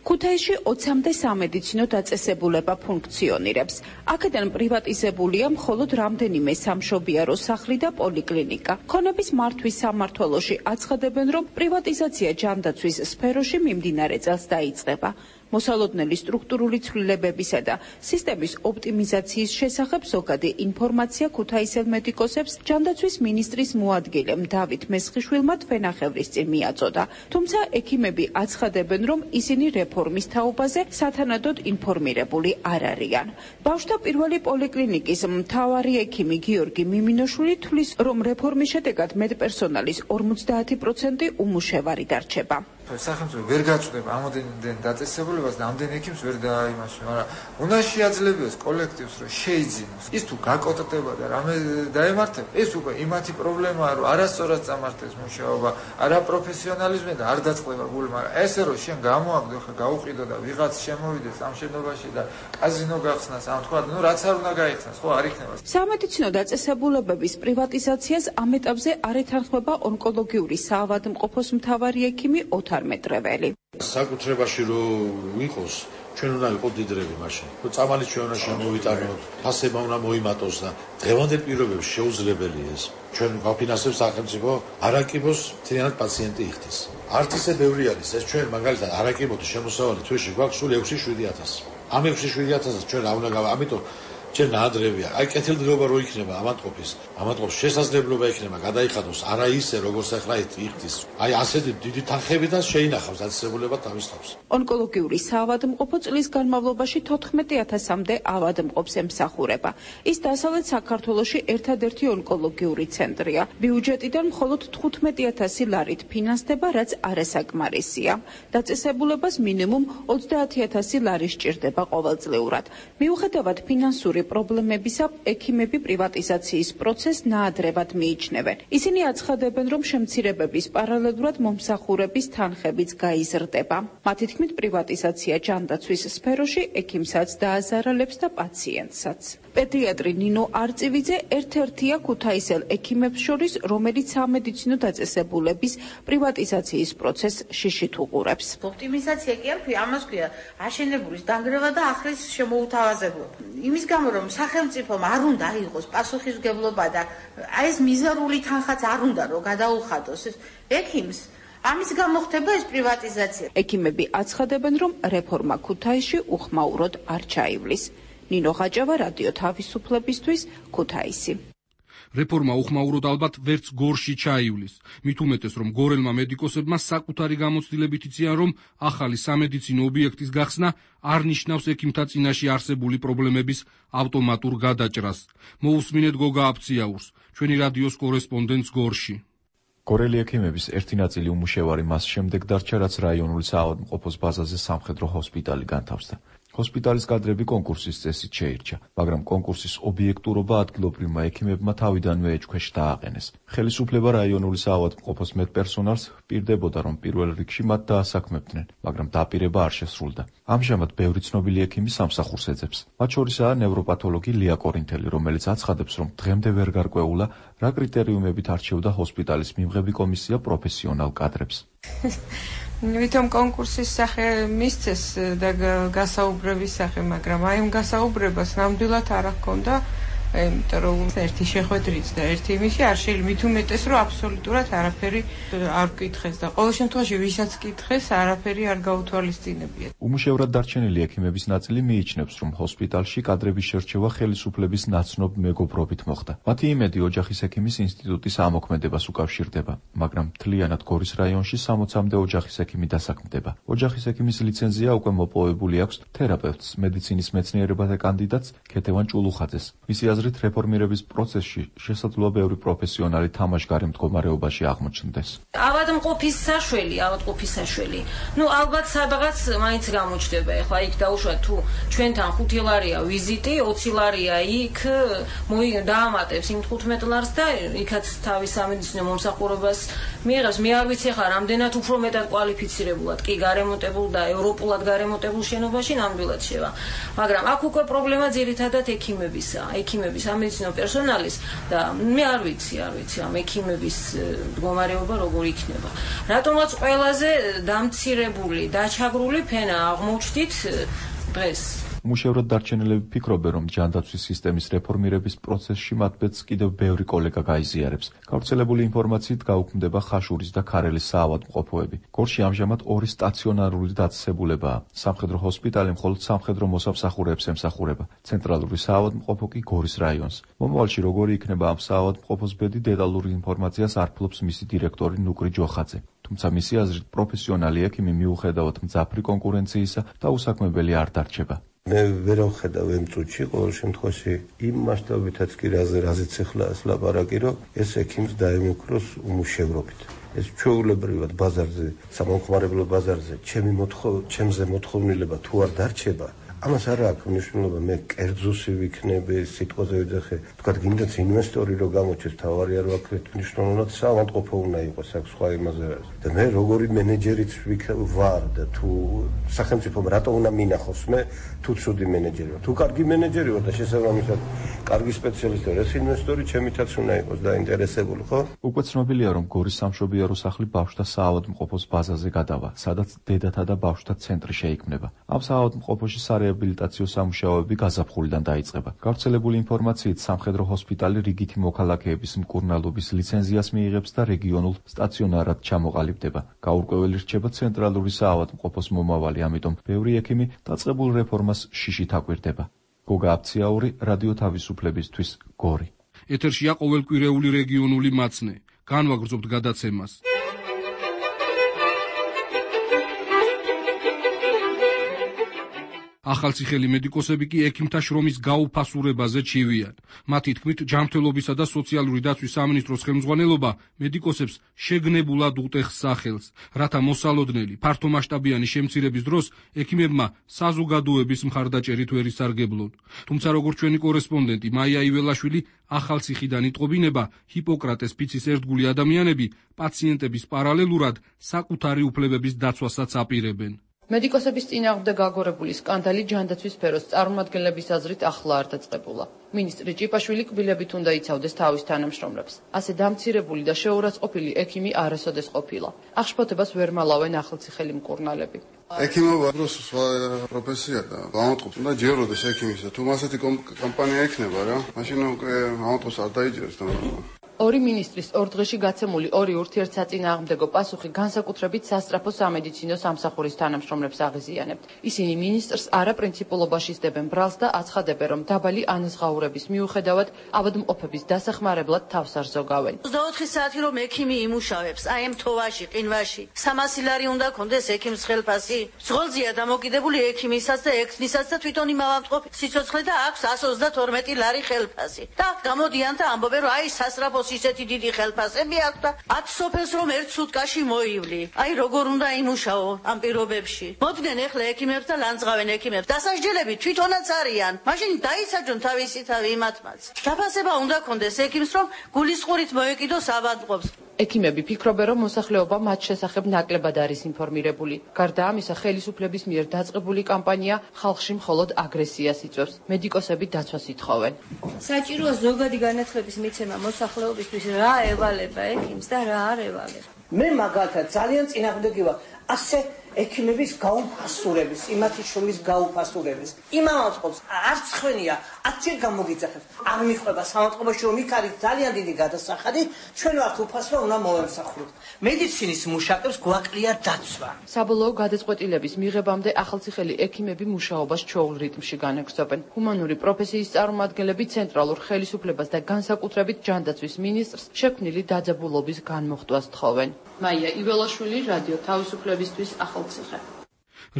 ქუთაისში 20-მდე სამედიცინო დაწესებულება ფუნქციონირებს. აქედან პრივატიზებულია მხოლოდ რამდენიმე სამშობიარო სახლი და პოლიკლინიკა. ქონების მართვის სამმართველოში აცხადებენ, რომ პრივატიზაცია ჯანდაცვის სფეროში მიმდინარე წელს დაიწყება. მოსალოდნელი სტრუქტურული ცვლილებებისა და სისტემის ოპტიმიზაციის შესახებ ზოგადი ინფორმაცია ქუთაისელ მედიკოსებს ჯანდაცვის მინისტრის მოადგილემ დავით მესხიშვილმა თვენახევრის წინ მიაწოდა. თუმცა ექიმები აცხადებენ, რომ ისინი რეფორმის თაობაზე სათანადოდ ინფორმირებული არ არიან. ბავშვთა პირველი პოლიკლინიკის მთავარი ექიმი გიორგი მიმინოშვილი თვლის, რომ რეფორმის შედეგად მედპერსონალის 50% უმუშევარი დარჩება. სახელმწიფო ვერ გაწვდება ამდენ დაწესებულებას და ამდენ ექიმს ვერ დაიმასვენ, მაგრამ უნდა შეაძლებდეს კოლექტივს, რომ შეიძინოს. ის თუ გაკოტდება და რამე დაემართება, ეს უკვე იმათი პრობლემაა, რომ არასწორად წამართეს მუშაობა, არაპროფესიონალიზმი და არ დაწყდება გული, მაგრამ ესე რომ შენ გამოაგდო, ხა გაუყიდო და ვიღაც შემოვიდეს ამ შენობაში და კაზინო გახსნას, ამ თქვა, რაც არ უნდა გაიხსნას, ხო არ იქნება. სამედიცინო დაწესებულებების პრივატიზაციას ამ ეტაპზე არ ეთანხმება ონკოლოგიური საავადმყოფოს მთავარი ექიმი ოთარ მეტრეველი. საკუთრებაში რომ ვიყოს ჩვენ უნდა ვიყოთ დიდრები მაშინ. რომ წამალი ჩვენ უნდა შემოვიტანოთ, ფასება უნდა მოიმატოს და დღევანდელ პირობებში შეუძლებელია ეს. ჩვენ ვაფინანსებთ სახელმწიფო არაკიბოს მთლიანად პაციენტი იხდის. არც ისე ბევრი არის ეს ჩვენ მაგალითად არაკიბოთი შემოსავალი თვეში გვაქვს სულ 6-7,000. ამ 6-7,000-ს ჩვენ რა უნდა ამიტომ ჩვენ ნაადრევია. აი კეთილდღეობა რო იქნება ამატყობს შესაძლებლობა იქნება გადაიხადოს არა ისე როგორც ახლა იხდის. აი ასეთი დიდი თანხებიდან შეინახავს დაწესებულება თავის თავს. ონკოლოგიური საავადმყოფო წლის განმავლობაში 14,000-მდე ავადმყოფს ემსახურება. ის დასავლეთ საქართველოში ერთადერთი ონკოლოგიური ცენტრია. ბიუჯეტიდან მხოლოდ 15,000 ლარით ფინანსდება, რაც არასაკმარისია. დაწესებულებას მინიმუმ 30,000 ლარი სჭირდება ყოველწლიურად. მიუხედავად ფინანსური პრობლემებისა, ექიმები პრივატიზაციის პროცესს ნაადრევად მიიჩნევენ. ისინი აცხადებენ, რომ შემცირებების პარალელურად მომსახურების თანხებიც გაიზრდება. მათი თქმით, პრივატიზაცია ჯანდაცვის სფეროში ექიმსაც დააზარალებს და პაციენტსაც. პედიატრი ნინო არწივიძე ერთ-ერთია ქუთაისელ ექიმებს შორის, რომელიც სამედიცინო დაწესებულების პრივატიზაციის პროცესს შიშით უყურებს. ოპტიმიზაცია კი არ ქვია, ამას ქვია აშენებულის დანგრევა და ახლის შემოუთავაზებლობა. იმის გამო რომ სახელმწიფომ არ უნდა აიღოს პასუხისმგებლობა და აი ეს მიზერული თანხაც არ უნდა რომ გადაუხადოს ექიმს, ამის გამო ხდება ეს პრივატიზაცია. ექიმები აცხადებენ, რომ რეფორმა ქუთაისში უხმაუროდ არ ჩაივლის. ნინო ხაჭავა, რადიო თავისუფლებისთვის, ქუთაისი. რეფორმა უხმაუროდ ალბათ ვერც გორში ჩაივლის. მით უმეტეს, რომ გორელმა მედიკოსებმა საკუთარი გამოცდილებით იციან, რომ ახალი სამედიცინო ობიექტის გახსნა არ ნიშნავს ექიმთა წინაშე არსებული პრობლემების ავტომატურ გადაჭრას. მოусმინეთ გოგა აფციაურს, ჩვენი რადიოს კორესპონდენტს გორში. გორელი ექიმების ერთი ნაწილი უმუშევარი მას შემდეგ დარჩა, რაც რაიონული საავადმყოფოს ბაზაზე სამხედრო ჰოსპიტალი განთავსდა. ჰოსპიტალის კადრები კონკურსის წესით შეირჩა, მაგრამ კონკურსის ობიექტურობა ადგილობრივმა ექიმებმა თავიდანვე ეჭქვეშ დააყენეს. ხელისუფლება რაიონული საავადმყოფოს მედპერსონალს პირდებოდა, რომ პირველ რიგში მათ დაასაქმებდნენ, მაგრამ დაპირება არ შესრულდა. ამჟამად ბევრი ცნობილი ექიმი სამსახურს ეძებს. მათ შორისაა ნევროპათოლოგი ლია კორინთელი, რომელიც აცხადებს, რომ დღემდე ვერ გარკვეულა, რა კრიტერიუმებით არჩევდა ჰოსპიტალის მიმღები კომისია პროფესიონალ კადრებს. ვითომ კონკურსის სახე მისცეს და გასაუბრების სახე, მაგრამ აი ამ გასაუბრებას ნამდვილად არ ჰქონდა, იმიტომ რომ ერთი შეხვედრით და ერთი იმისი არ შეიძლება მით უმეტეს, რომ აბსოლუტურად არაფერი არ კითხეს და ყოველ შემთხვევაში ვისაც კითხეს, არაფერი არ გაუთვალისწინებია. უმუშევრად დარჩენილი ექიმების ნაწილი მიიჩნევს, რომ ჰოსპიტალში კადრების შერჩევა ხელისუფლების ნაცნობ მეგობრობით მოხდა. მათი იმედი ოჯახის ექიმის ინსტიტუტის ამოქმედებას უკავშირდება, მაგრამ მთლიანად გორის რაიონში 60-მდე ოჯახის ექიმი დასაქმდება. ოჯახის ექიმის ლიცენზია უკვე მოპოვებული აქვს თერაპევტს, მედიცინის მეცნიერებათა კანდიდატს ქეთევან ჭულუხაძეს. მისი აზრით, რეფორმირების პროცესში შესაძლოა ბევრი პროფესიონალი თამაშგარი მდგომარეობაში აღმოჩნდეს. ავადმყოფის საშველი. ალბათ სადღაც მაინც გამოჩნდება. ეხლა იქ დაუშვათ თუ ჩვენთან 5 ლარია ვიზიტი, 20 ლარია იქ დაამატებს იმ 15 ლარს და იქაც თავის სამედიცინო მომსახურებას მიიღებს. მე არ ვიცი ხა რამდენად უფრო მეტად კვალიფიცირებულად კი გარემონტებულ და ევროპულად გარემონტებულ შენობაში ნამდვილად შევა. მაგრამ აქ უკვე პრობლემა ძირითადად ექიმებისა. ექიმების სამედიცინო პერსონალის და მე არ ვიცი ამ ექიმების მდგომარეობა როგორ იქნება. რატომაც ყველაზე დამცირებული, დაჩაგრული ფენა აღმოჩნდით დღეს. უმუშევრად დარჩენილები ფიქრობენ, რომ ჯანდაცვის სისტემის რეფორმირების პროცესში მათაც კიდევ ბევრი კოლეგა გაიზიარებს. გავრცელებული ინფორმაციით გაუქმდება ხაშურის და ქარელის საავადმყოფოები. გორში ამჟამად 2 სტაციონარული დაწესებულებაა. სამხედრო ჰოსპიტალი მხოლოდ სამხედრო მოსამსახურეებს ემსახურება. ცენტრალური საავადმყოფო კი გორის რაიონს. მომავალში როგორი იქნება ამ საავადმყოფოს ბედი, დეტალურ ინფორმაციას არ ფლობს მისი დირექტორი ნუკრი ჯოხაძე. თუმცა მისი აზრით, პროფესიონალი ექიმი მიუხედავად მძაფრი კონკურენციისა დაუსაქმებელი არ დარჩება. მე ვერ ვხედავ ამ წუთში ყოველ შემთხვევაში იმ მასშტაბითაც კი რაზეც ახლა ლაპარაკი, რომ ეს ექიმს დაემუქროს უმუშევრობით. ეს ჩვეულებრივად ბაზარზე, სამომხმარებლო ბაზარზე ჩემზე მოთხოვნილება თუ არ დარჩება, ამას არ აქვს მნიშვნელობა, მე კერძოსი ვიქნები, სიტყვაზე ვიძახე, თქვა გინდათ ინვესტორი რო გამოჩეს, თავარი არ ვაქვთ, მნიშვნელოვნად საავადმყოფო უნდა იყოს, აქ სხვა იმაზე არის. და მე როგორი მენეჯერიც ვარ და თუ სახელმწიფომ რატო უნდა მინახოს მე, თუ ცუდი მენეჯერი ვარ, თუ კარგი მენეჯერი ვარ და შესაბამისად კარგი სპეციალისტი ვარ, ეს ინვესტორი ჩემითაც უნდა იყოს დაინტერესებული, ხო? უკვე ცნობილია, რომ გორის სამშობიარო სახლი ბავშვთა საავადმყოფოს ბაზაზე გადავა, სადაც დედათა და ბავშვთა ცენტრი შეიქმნება. ამ საავადმყოფოში რეაბილიტაციო სამუშაოები გაზაფხულიდან დაიწყება. გავრცელებული ინფორმაციით, სამხედრო ჰოსპიტალი რიგითი მოქალაქეების მკურნალობის ლიცენზიას მიიღებს და რეგიონულ სტაციონარად ჩამოყალიბდება. გაურკვეველი რჩება ცენტრალური საავადმყოფოს მომავალი, ამიტომ ბევრი ექიმი დაწყებულ რეფორმას შიშით აკვირდება. გოგა აფციაური, რადიო თავისუფლებისთვის, გორი. ეთერშია ყოველკვირეული რეგიონული მაცნე. განვაგრძობთ გადაცემას. ახალციხელი მედიკოსები კი ექიმთა შრომის გაუფასურებაზე ჩივიან. მათი თქმით, ჯანმრთელობისა და სოციალური დაცვის სამინისტროს ხელმძღვანელობა მედიკოსებს შეგნებულად უტეხს სახელს, რათა მოსალოდნელი, ფართომასშტაბიანი შემცირების დროს ექიმებმა საზოგადოების მხარდაჭერით ვერ ისარგებლონ. თუმცა, როგორც ჩვენი კორესპონდენტი მაია იველაშვილი ახალციხიდან იტყობინება, ჰიპოკრატეს ფიცის ერთგული ადამიანები პაციენტების პარალელურად საკუთარი უფლებების დაცვასაც აპირებენ. მედიკოსების წინააღმდეგ გაგორებული სკანდალი ჯანდაცვის სფეროს წარმომადგენლების აზრით ახლა არ დაწყებულა. მინისტრი ჭიპაშვილი კბილებით უნდა იცავდეს თავის თანამშრომლებს. ასე დამცირებული და შეურაცხყოფილი ექიმი არასოდეს ყოფილა. ახშფოთებას ვერ მალავენ ახალციხელი მკურნალები. ექიმობა დროს სხვა პროფესია და ავადმყოფს უნდა ჯეროდეს ექიმისა. თუ ასეთი კომპანია ექნება რა, მაშინ უკვე ავადმყოფს არ დაიჯერებს და ორი მინისტრის ორ დღეში გაცემული ორი ურთიერთსაწინააღმდეგო პასუხი განსაკუთრებით სასწრაფო სამედიცინო სამსახურის თანამშრომლებს აღიზიანებთ. ისინი მინისტრს არაპრინციპულობაში სდებენ ბრალს და აცხადებენ, რომ დაბალი ანაზღაურების მიუხედავად ავადმყოფების დასახმარებლად თავს არ ზოგავენ. 24 საათი რომ ექიმი იმუშავებს, აი ამ თოვაში, ყინვაში, 300 ლარი უნდა კონდეს ექიმს ხელფასი. ზღოლზეა დამოკიდებული ექიმისაც და ექნისაც და თვითონ იმ ავადმყოფის სიცოცხლე და აქვს 132 ლარი ხელფასი. და გამოდიან და ამბობენ, რომ აი სასწრაფო ისეთი დიდი ხელფასები აქვს და 10 სოფელს რომ ერთ სუტკაში მოივლი. აი როგორ უნდა იმუშაო ამ პირობებში. მოდგენ ეხლა ექიმებს და ლანძღავენ ექიმებს. დასაჯელები თვითონაც არიან. მაშინ დაისაჯონ თავისი თავი იმათმაც. დაფასება უნდა კონდეს ექიმს რომ გულისყურით მოეკიდოს ავადმყოფს. ექიმები ფიქრობენ, რომ მოსახლეობა მათ შესახებ ნაკლებად არის ინფორმირებული. გარდა ამისა, ხელისუფლების მიერ დაწყებული კამპანია ხალხში მხოლოდ აგრესიას იწვევს. მედიკოსები დაცვას ითხოვენ. საჭიროა ზოგადი განათლების მიცემა მოსახლეობისთვის, რა ევალება ექიმს და რა არ ევალება. მე მაგალითად ძალიან წინააღმდეგი ვარ ასე ექიმების გაუფასურების, იმათი შრომის გაუფასურების. იმ ავადმყოფს არც ხვენია, 10 გამოგიძახებს. არ მიხვება სამავადმყოფოში რომ იქ არის ძალიან დიდი გადასახადი, ჩვენ ვართ უფასო, უნდა მოვემსახუროთ. მედიცინის მუშაკებს გვაკლია დაცვა. საბოლოო გადაწყვეტილების მიღებამდე ახალციხელი ექიმები მუშაობას ჩვეულ რიტმში განაგრძობენ. ჰუმანური პროფესიის წარმომადგენლები ცენტრალურ ხელისუფლებას და განსაკუთრებით ჯანდაცვის მინისტრს შექმნილი დაძაბულობის განმოხტვას თხოვენ. მაია იველაშვილი, რადიო თავისუფლებისთვის, ახალციხე.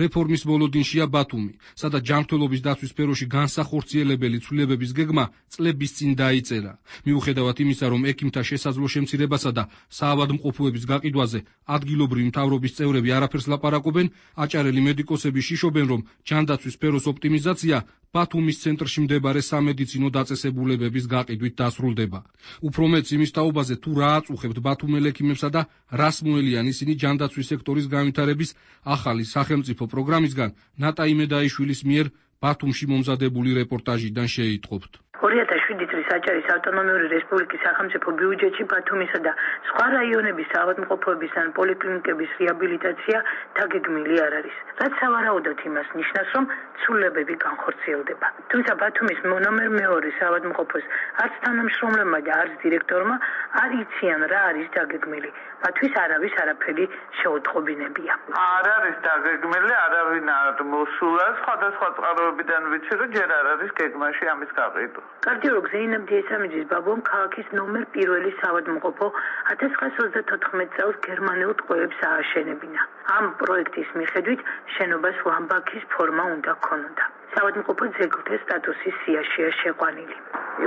რეფორმის მოლოდინშია ბათუმი, სადაც ჯანმრთელობის დაცვის სფეროში განსახორციელებელი ცვლილებების გეგმა წლების წინ დაიწერა. მიუხედავად იმისა, რომ ექიმთა შესაძლო შემცირებასა და საავადმყოფოების გაყიდვაზე ადგილობრივი მთავრობის წევრები არაფერს ლაპარაკობენ, აჭარელი მედიკოსები შიშობენ, რომ ჯანდაცვის სფეროს ოპტიმიზაცია ბათუმის ცენტრში მდებარე სამედიცინო დაწესებულებების გაყიდვით დასრულდება. უფრო მეც იმის თაობაზე, თუ რა აწუხებთ ბათუმელ ექიმებსა და რას მოელიან ისინი ჯანდაცვის სექტორის განვითარების ახალი სახელმწიფო პროგრამისგან, ნატა იმედაიშვილის მიერ ბათუმში მომზადებული რეპორტაჟიდან შეიტყობთ. 2007 წლის აჭარის ავტონომიური რესპუბლიკის სახელმწიფო ბიუჯეტში ბათუმისა და სხვა რაიონების ავადმყოფოების ან პოლიკლინიკების რეაბილიტაცია დაგეგმილი არ არის. რაც სავარაუდოდ იმას ნიშნავს, რომ ცვლილებები განხორციელდება. თუმცა ბათუმის ნომერ 2 ავადმყოფოს არც თანამშრომლებმა და არც დირექტორმა არ იციან რა არის დაგეგმილი. მათთვის არავის არაფერი შეუტყობინებია. არ არის დაგეგმილი, არავინ არ მოსულა, სხვადასხვა წყაროებიდან ვიცი, რომ ჯერ არ არის გეგმაში ამის გაყიდვა. კარდიოლოგ ზეინებ დიესამიძის ბაბუამ ქალაქის ნომერ 1 საავადმყოფო 1924 წელს გერმანელ ტყვეებს ააშენებინა. ამ პროექტის მიხედვით შენობას ლამბაქის ფორმა უნდა ქონოდა. საავადმყოფო ძეგლთა სტატუსის სიაშია შეყვანილი.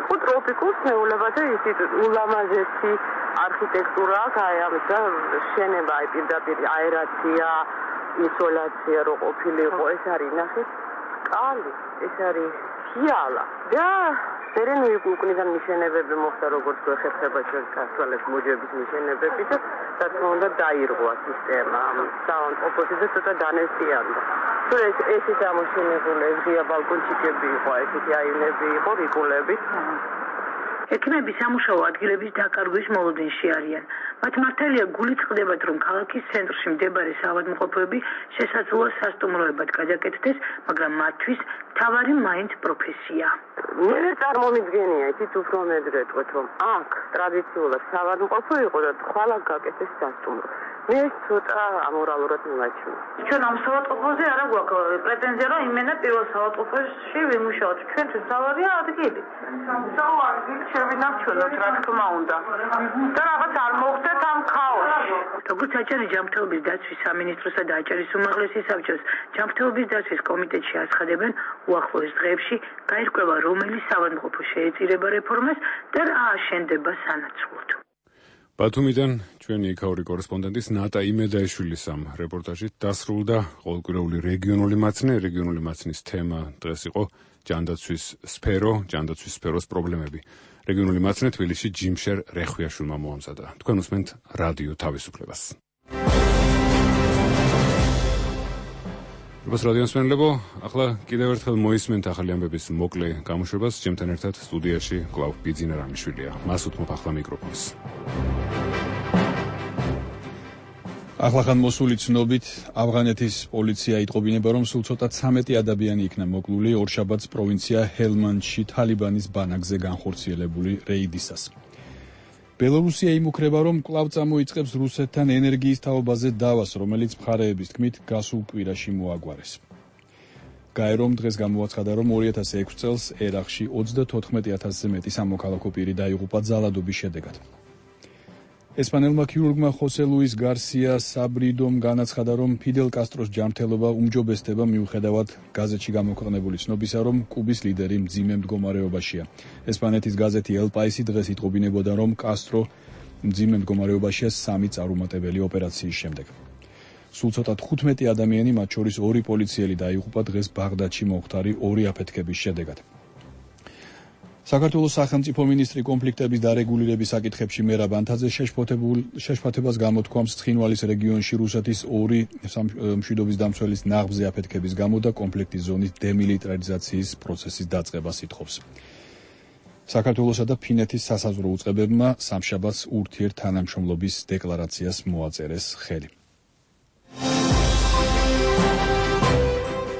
იყო ტროპიკულ სნეულებათა ისეთ ულამაზესი არქიტექტურა, აი ამის შენობა, პირდაპირ აერაცია, ისოლაცია რო ყოფილიყო, ეს არის ნახეთ, კალი, ეს არის ხიალა და სერენი უკუნიდან მიშენებები მოხდა როგორც გვეხება ჩვენ ქართველებს მოჯების მიშენებები და რა თქმა უნდა დაირღვა სისტემა საავადმყოფოში და ცოტა დანესტიანდა. თუ ეს ამოშენებული ღია ბალკონჩიკები იყო, ესეთი აივნები იყო, რიკულები. ექიმები სამუშაო ადგილების დაკარგვის მოლოდინში არიან. მათ მართალია გულით ხდებათ, რომ ქალაქის ცენტრში მდებარე საავადმყოფოები შესაძლოა სასტუმროებად გადაკეთდეს, მაგრამ მათთვის მთავარი მაინც პროფესია. მე წარმომიდგენია, იცით უფრო მეძრე თქვით, რომ აქ ტრადიციულად საავადმყოფო იყო და ხვალ გაკეთეს სასტუმრო. მე ცოტა ამორალურად მივაჩვენე. ჩვენ ამ საავადმყოფოზე არა გვაქვს პრეტენზია, რომ იმენა პირველ საავადმყოფოში ვიმუშაოთ. ჩვენთვის თავარია ადგილი. საავადმყოფოში შევინარჩუნოთ, რა თქმა უნდა. და რაღაც არ მოხდეთ ამ ქაოსში. როგორც აჭარის ჯანმრთელობის დაცვის სამინისტროსა და აჭარის უმაღლესი საბჭოს ჯანმრთელობის დაცვის კომიტეტში აცხადებენ, უახლოეს დღეებში გაირკვევა, რომელი საავადმყოფო შეეწირება რეფორმას და რა აშენდება სანაცვლოდ. ბათუმიდან ჩვენი იქაური კორესპონდენტის ნატა იმედაიშვილის ამ რეპორტაჟით დასრულდა ყოველკვირეული რეგიონული მაცნის თემა დღეს იყო ჯანდაცვის სფეროს პრობლემები. რეგიონული მაცნე თბილისში ჯიმშერ რეხვიაშვილმა მოამზადა. თქვენ უსმენთ რადიო თავისუფლებას. რადიო მსმენელებო, ახლა კიდევ ერთხელ მოისმენთ ახალი ამბების მოკლე გამოშვებას. ჩემთან ერთად სტუდიაში კვლავ ბიძინა რამიშვილია. მას უთმობ ახლა მიკროფონს. ახლახან მოსული ცნობით, ავღანეთის პოლიცია იტყობინება, რომ სულ ცოტა 13 ადამიანი იქნა მოკლული ორშაბათს პროვინცია ჰელმანდში თალიბანის ბანაკზე განხორციელებული რეიდისას. ბელორუსია იმუქრება, რომ კვლავ წამოიწყებს რუსეთთან ენერგიის თაობაზე დავას, რომელიც მხარეების თქმით გასულ კვირაში მოაგვარეს. გაერომ დღეს გამოაცხადა, რომ 2006 წელს ერაყში 34,000-ზე მეტი სამოქალაქო პირი დაიღუპა ძალადობის შედეგად. ესპანელმა ქირურგმა ხოსე ლუის გარსია საბრიდომ განაცხადა, რომ ფიდელ კასტროს ჯანმრთელობა უმჯობესდება მიუხედავად გაზეთში გამოქვეყნებული ცნობისა, რომ კუბის ლიდერი მძიმე მდგომარეობაშია. ესპანეთის გაზეთი El País დღეს იტყობინებოდა, რომ კასტრო მძიმე მდგომარეობაშია 3 წარუმატებელი ოპერაციის შემდეგ. სულ ცოტა 15 ადამიანი, მათ შორის 2 პოლიციელი დაიღუპა დღეს ბაღდადში მომხდარი 2 აფეთქების შედეგად. საქართველოს სახელმწიფო მინისტრი კონფლიქტების დარეგულირების საკითხებში მერაბ ანთაძე შეშფოთებას გამოთქვამს ცხინვალის რეგიონში რუსეთის 2 მშვიდობის დამცველის ნაღმზე აფეთქების გამო და კონფლიქტის ზონის დემილიტარიზაციის პროცესის დაწყებას ითხოვს. საქართველოსა და ფინეთის სასაზღვრო უწყებებმა სამშაბათს ურთიერთთანამშრომლობის დეკლარაციას მოაწერეს ხელი.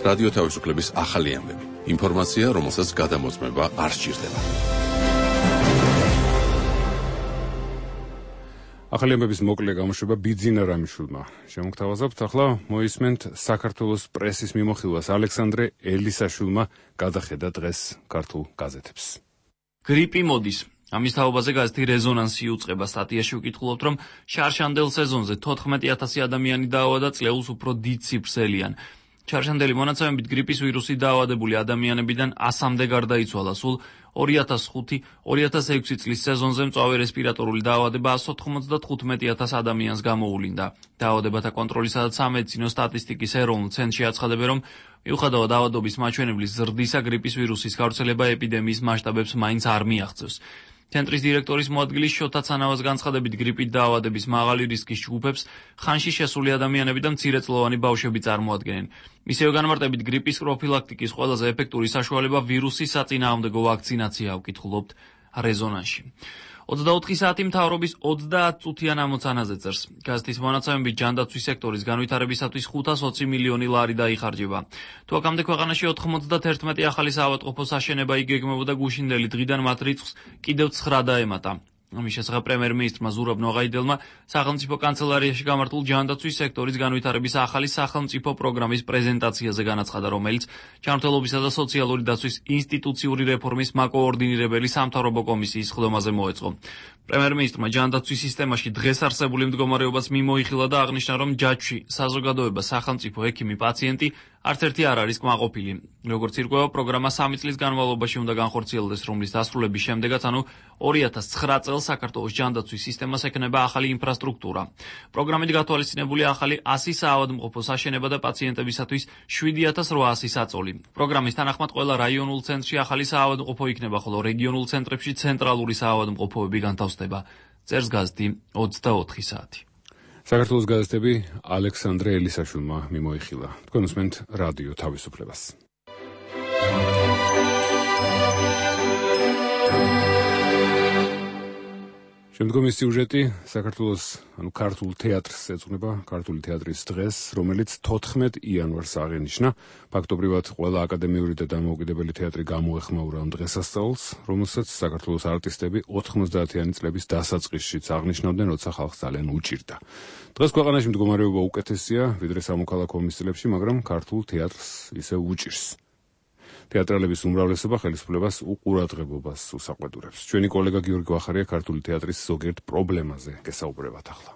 რადიო თავისუფლების ახალი ამბები. ინფორმაცია, რომელსაც გადამოწმება არ სჭირდება. ახალი ამბების მოკლე გამოშვება ბიძინა რამიშვილმა. შემოგთავაზებთ, ახლა მოისმენთ საქართველოს პრესის მიმოხილვას. ალექსანდრე ელისაშვილმა გადახედა დღეს ქართულ გაზეთებს. გრიპი მოდის. ამის თაობაზე გაზეთი რეზონანსი უწყება. სტატიაში ვკითხულობთ, რომ შარშანდელ სეზონზე 14,000 ადამიანი დაავა და წლეულს უფრო დიდ ციფრს ელიან. ჩარშანდელი მონაცემებით გრიპის ვირუსით დაავადებული ადამიანებიდან 100-მდე გარდაიცვალა. სულ 2005-2006 წლის სეზონზე მწვავე რესპირატორული დაავადება 195,000 ადამიანს გამოუვლინდა. დაავადებათა კონტროლისა და სამედიცინო სტატისტიკის ეროვნულ ცენტრში აცხადებენ, რომ მიუხედავად დაავადობის მაჩვენებლის ზრდისა, გრიპის ვირუსის გავრცელება ეპიდემიის მასშტაბებს მაინც არ მიაღწევს. ცენტრის დირექტორის მოადგილის შოთა ცანავას განცხადებით, გრიპით დაავადების მაღალი რისკის ჯგუფებს ხანში შესული ადამიანები და მცირეწლოვანი ბავშვები წარმოადგენენ. მისივე განმარტებით, გრიპის პროფილაქტიკის ყველაზე ეფექტური საშუალება ვირუსის საწინააღმდეგო ვაქცინაციაა, ვკითხულობთ რეზონანსში. 24 საათი მთავრობის 30 წუთიან ამოცანაზე წერს. გაზეთის მონაცემებით ჯანდაცვის სექტორის განვითარებისათვის 520 მილიონი ლარი დაიხარჯება. თუ აქამდე ქვეყანაში 91 ახალი საავადმყოფო საშენება იგეგმებოდა გუშინდელი დღიდან მათ რიცხვს კიდევ 9 დაემატა. ამის შესახებ პრემიერ-მინისტრმა ზურაბ ნოღაიდელმა სახელმწიფო კანცელარიაში გამართულ ჯანდაცვის სექტორის განვითარების ახალი სახელმწიფო პროგრამის პრეზენტაციაზე განაცხადა, რომელიც ჯანმრთელობისა და სოციალური დაცვის ინსტიტუციური რეფორმის მაკოორდინირებელი სამთავრობო კომისიის ხდომაზე მოეწყო. პრემიერ-მინისტრმა ჯანდაცვის სისტემაში დღეს არსებული მდგომარეობას მიმოიხილა და აღნიშნა, რომ ჯაჭვში საზოგადოება, სახელმწიფო, ექიმი, პაციენტი არც ერთი არ არის კმაყოფილი. როგორც ირკვევა, პროგრამა 3 წლის განმავლობაში უნდა განხორციელდეს, რომლის დასრულების შემდეგაც, ანუ 2009 წელს საქართველოს ჯანდაცვის სისტემას ექნება ახალი ინფრასტრუქტურა. პროგრამით გათვალისწინებული ახალი 100 საავადმყოფოს აშენება და პაციენტებისათვის 7800 საწოლი. პროგრამის თანახმად ყველა რაიონულ ცენტრში ახალი საავადმყოფო იქნება, ხოლო რეგიონულ ცენტრებში ცენტრალური საავადმყოფოები განთავსდება. წერს გაზეთი 24 საათი. საქართველოს გაზეთები ალექსანდრე ელისაშვილმა მიმოიხილა. თქვენ უსმენთ რადიო თავისუფლებას. შემდგომი სიუჟეტი საქართველოს, ქართულ თეატრს ეძღვნება, ქართული თეატრის დღეს, რომელიც 14 იანვარს აღენიშნა. ფაქტობრივად ყველა აკადემიური და დამოუკიდებელი თეატრი გამოეხმაურა ამ დღესასწაულს, რომელსაც საქართველოს არტისტები 90-იანი წლების დასაწყისშიც აღნიშნავდნენ, როცა ხალხს ძალიან უჭირდა. დღეს ქვეყანაში მდგომარეობა უკეთესია, ვიდრე სამოქალაქო ომის წლებში, მაგრამ ქართულ თეატრს ისევ უჭირს. თეატრალების უმრავლესობა ხელისუფლებას უყურადღებობას უსაყვედურებს. ჩვენი კოლეგა გიორგი ვახარია ქართული თეატრის ზოგიერთ პრობლემაზე გესაუბრებათ ახლა.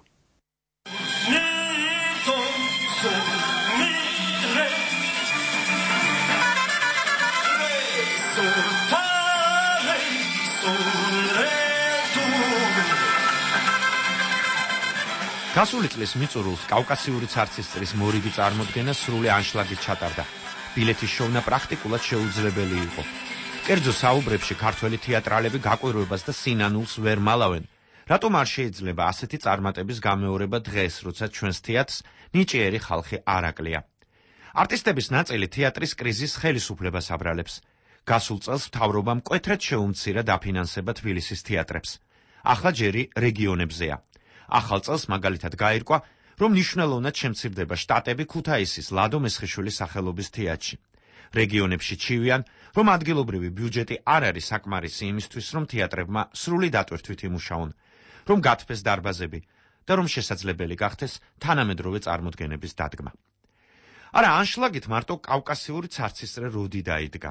გასული წლის მიწურულს კავკასიური ცარცის მორიგი წარმოდგენა სრული ანშლაგით ჩატარდა. ბილეთის შოვნა პრაქტიკულად შეუძლებელი იყო. კერძო საუბრებში ქართველი თეატრალები გაკვირვებას და სინანულს ვერ მალავენ. რატომ არ შეიძლება ასეთი წარმატების გამეორება დღეს, როცა ჩვენს თეატრს ნიჭიერი ხალხი არ აკლია? არტისტების ნაწილი თეატრის კრიზისს ხელისუფლებას აბრალებს. გასულ წელს მთავრობამ მკვეთრად შეუმცირა დაფინანსება თბილისის თეატრებს. ახლა ჯერი რეგიონებზეა. ახალ წელს მაგალითად გაირკვა, რომ მნიშვნელოვნად შემცირდება შტატები ქუთაისის ლადო მესხიშვილის სახელობის თეატრში. რეგიონებში ჩივიან, რომ ადგილობრივი ბიუჯეტი არ არის საკმარისი იმისთვის, რომ თეატრებმა სრული დატვირთვით იმუშაონ, რომ გათფეს დარბაზები და რომ შესაძლებელი გახდეს თანამედროვე წარმოდგენების დადგმა. არა, ანშლაგით მარტო კავკასიური ცარცისწრე როდი დაიდგა.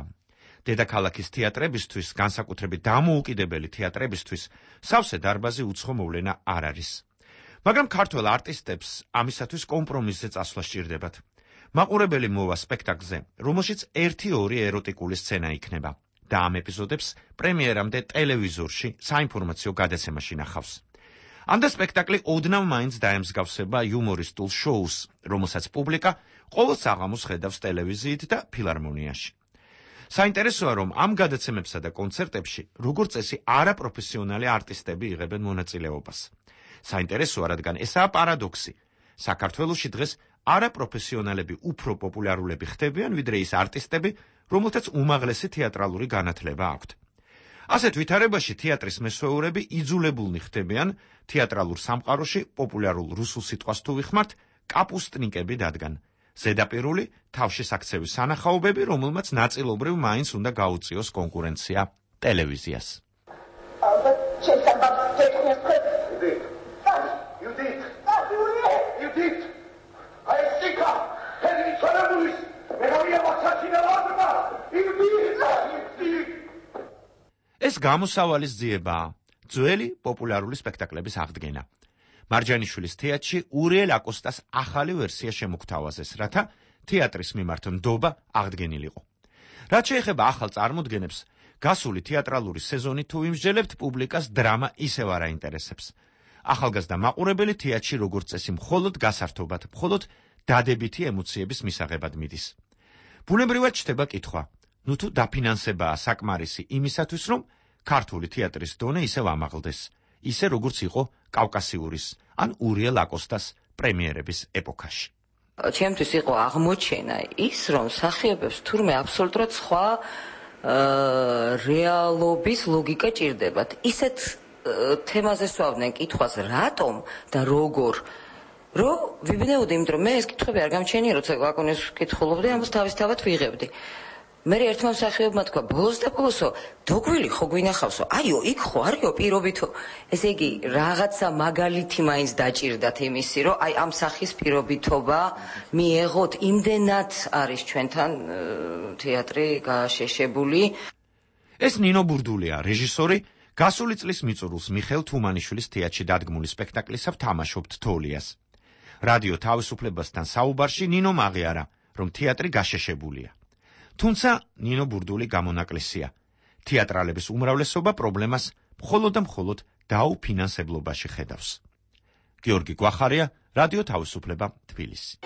დედაქალაქის თეატრებისთვის, განსაკუთრებით დამოუკიდებელი თეატრებისთვის, სავსე დარბაზი უცხო მოვლენა არ არის. მაგრამ ქართველ არტისტებს ამისათვის კომპრომისზე წასვლა სჭირდებათ. მაყურებელი მოვა სპექტაკლზე, რომელშიც 1-2 ეროტიკული სცენა იქნება და ამ ეპიზოდებს პრემიერამდე ტელევიზორში საინფორმაციო გადაცემაში ნახავს. ამ და სპექტაკლი ოდნავ მაინც დაემსგავსება იუმორისტულ შოუს, რომელსაც პუბლიკა ყოველ საღამოს ხედავს ტელევიზიით და ფილარმონიაში. საინტერესოა, რომ ამ გადაცემებსა და კონცერტებში, როგორც წესი, არაპროფესიონალი არტისტები იღებენ მონაწილეობას. საინტერესოა, რადგან ესაა პარადოქსი. საქართველოში დღეს არაპროფესიონალები უფრო პოპულარულები ხდებიან, ვიდრე ის არტისტები, რომელთაც უმაღლესი თეატრალური განათლება აქვთ. ასეთ ვითარებაში თეატრის მესვეურები იძულებულნი ხდებიან თეატრალურ სამყაროში პოპულარულ რუსულ სიტყვას თუ ვიხმართ, კაპუსტნიკები დადგან. ზედაპირული თავშესაქცევის სანახაობები, რომელმაც ნაწილობრივ მაინც უნდა გაუწიოს კონკურენცია ტელევიზიას. ეს გამოსავალის ძიებაა, ძველი პოპულარული სპექტაკლების აღდგენა. მარჯანიშვილის თეატრში ურიელ აკოსტას ახალი ვერსია შემოგთავაზეს, რათა თეატრის მიმართ ნდობა აღდგენილიყო. რაც შეეხება ახალ წარმოდგენებს, გასული თეატრალური სეზონი თუ იმსჯელებთ, პუბლიკას დრამა ისევ არ აინტერესებს. ახალგაზრდა მაყურებელი თეატრში როგორც წესი მხოლოდ გასართობად, მხოლოდ დადებითი ემოციების მისაღებად მიდის. ბუნებრივად ჩნდება კითხვა, ნუ თუ დაფინანსებაა საკმარისი იმისათვის, რომ ქართული თეატრის დონე ისევ ამაღლდეს, ისე როგორც იყო კავკასიურის ან ურიელ აკოსტას პრემიერების ეპოქაში. ჩემთვის იყო აღმოჩენა ის, რომ მსახიობებს თურმე აბსოლუტურად სხვა რეალობის ლოგიკა ჭირდებათ. ისეთ თემაზე სვავდნენ კითხვას, რატომ და როგორ, რომ ვიბნეოდი, იმიტომ რომ მე ეს კითხვები არ გამჩენია, როცა ვაკონეს ვკითხულობდი, ამას თავისთავად ვიღებდი. მე ერთმა მსახიობმა თქვა, ბოლოს და ბოლოსო, დოგვილი ხო გვინახავსო, აიო, იქ ხო არისო პირობითო. ესე იგი, რაღაცა მაგალითი მაინც დაჭირდათ იმისი, რომ აი ამ სახის პირობითობა მიეღოთ, იმდენად არის ჩვენთან თეატრი გაშეშებული. ეს ნინო ბურდულია, რეჟისორი, გასული წლის მიწურულს მიხეილ თუმანიშვილის თეატრში დადგმული სპექტაკლისა ვთამაშობთ თოლიას. რადიო თავისუფლებასთან საუბარში ნინომ აღიარა, რომ თეატრი გაშეშებულია. თუმცა ნინო ბურდული გამონაკლისია. თეატრალების უმრავლესობა პრობლემას მხოლოდ და მხოლოდ დაუფინანსებლობაში ხედავს. გიორგი გვახარია, რადიო თავისუფლება, თბილისი.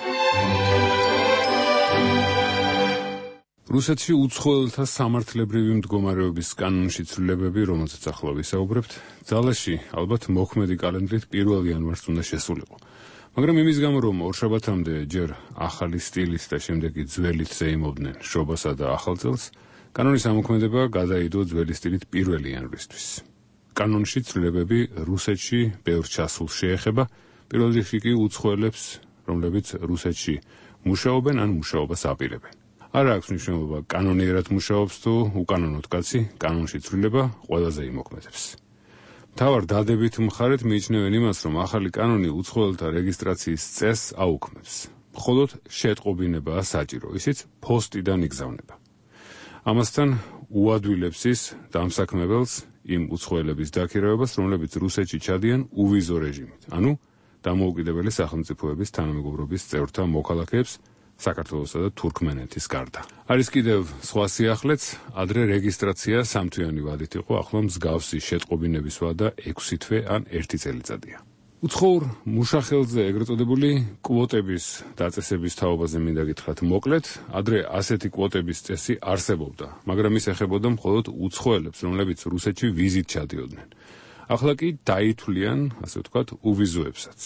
რუსეთში უცხოელთა სამართლებრივი მდგომარეობის კანონში ცვლილებები, რომელზეც ახლა ვისაუბრებთ, ძალაში ალბათ მოქმედი კალენდრით 1 იანვარს უნდა შესულიყო. მაგრამ იმის გამო, რომ ორშაბათამდე ჯერ ახალი სტილით და შემდეგ ძველით ზეიმობდნენ შობასა და ახალ წელს, კანონის ამოქმედება გადაიდო ძველი სტილით 1 იანვრისთვის. კანონში ცვლილებები რუსეთში ბევრ ჩასულს შეეხება, პირველ რიგში კი უცხოელებს, რომლებიც რუსეთში მუშაობენ ან მუშაობას აპირებენ. არ აქვს მნიშვნელობა კანონიერად მუშაობს თუ უკანონოდ კაცი, კანონში ცვლილება ყველაზე იმოქმედებს. მთავარ დადებით მხარეთ მიიჩნევენ იმას, რომ ახალი კანონი უცხოელთა რეგისტრაციის წესს აუქმებს. მხოლოდ შეტყობინებაა საჭირო, ისიც ფოსტიდან იგზავნება. ამასთან უადვილებს ის დამსაქმებელს იმ უცხოელების დაქირავებას, რომლებიც რუსეთში ჩადიან უვიზო რეჟიმით, ანუ დამოუკიდებელი სახელმწიფოების თანამეგობრობის წევრთა მოქალაქეებს საქართველოსა და თურქმენეთის გარდა. არის კიდევ სხვა სიახლეც, ადრე რეგისტრაცია 3 თვიანი ვადით იყო, ახლა მსგავსი შეტყობინების ვადა 6 თვე ან 1 წელიწადია. უცხოურ მუშახელზე ეგრეთ წოდებული კვოტების დაწესების თაობაზე მინდა გითხრათ მოკლედ, ადრე ასეთი კვოტების წესი არსებობდა, მაგრამ ის ეხებოდა მხოლოდ უცხოელებს, რომლებიც რუსეთში ვიზით ჩადიოდნენ. ახლა კი დაითვლიან, ასე ვთქვათ, უვიზოებსაც.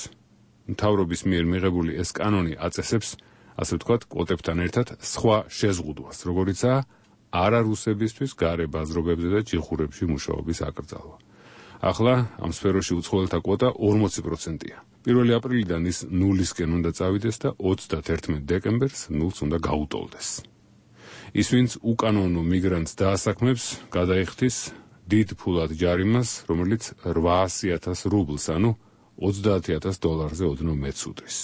მთავრობის მიერ მიღებული ეს კანონი აწესებს, ასე ვთქვათ, კვოტებთან ერთად სხვა შეზღუდვას, როგორიცაა არარუსებისთვის გარე ბაზრობებზე და ჭიხურებში მუშაობის აკრძალვა. ახლა ამ სფეროში უცხოელთა კვოტა 40%-ია. 1 აპრილიდან ის 0-ისკენ უნდა წავიდეს და 31 დეკემბერს 0-ს უნდა გაუტოლდეს. ის, ვინც უკანონო მიგრანტს დაასაქმებს, გადაიხდის დიდ ფულად ჯარიმას, რომელიც 800,000 რუბლს, ანუ $30,000-ზე ოდნავ მეტს უდრის.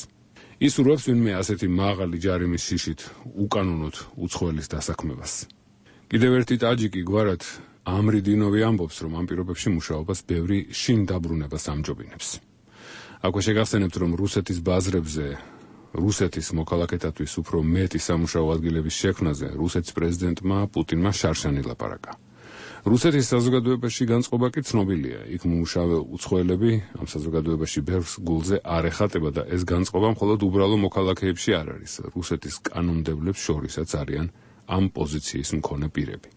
ის ურევს ვინმე ასეთი მაღალი ჯარიმის შიშით უკანონოდ უცხოელის დასაქმებას. კიდევ ერთი ტაჯიკი გვარად ამრიდინოვი ამბობს, რომ ამ პირობებში მუშაობას ბევრი შინ დაბრუნებას ამჯობინებს. აქვე შეგახსენებთ, რომ რუსეთის ბაზრებზე რუსეთის მოქალაქეთათვის უფრო მეტი სამუშაო ადგილების შექმნაზე რუსეთის პრეზიდენტმა პუტინმა შარშანი ლაპარაკა. რუსეთის საზოგადოებაში განწყობა კი ცნობილია. იქ მუშავე უცხოელები ამ საზოგადოებაში ბევრს გულზე არ ეხატება და ეს განწყობა მხოლოდ უბრალო მოქალაქეებში არ არის. რუსეთის კანონმდებლებს შორისაც არიან ამ პოზიციის მქონე პირები.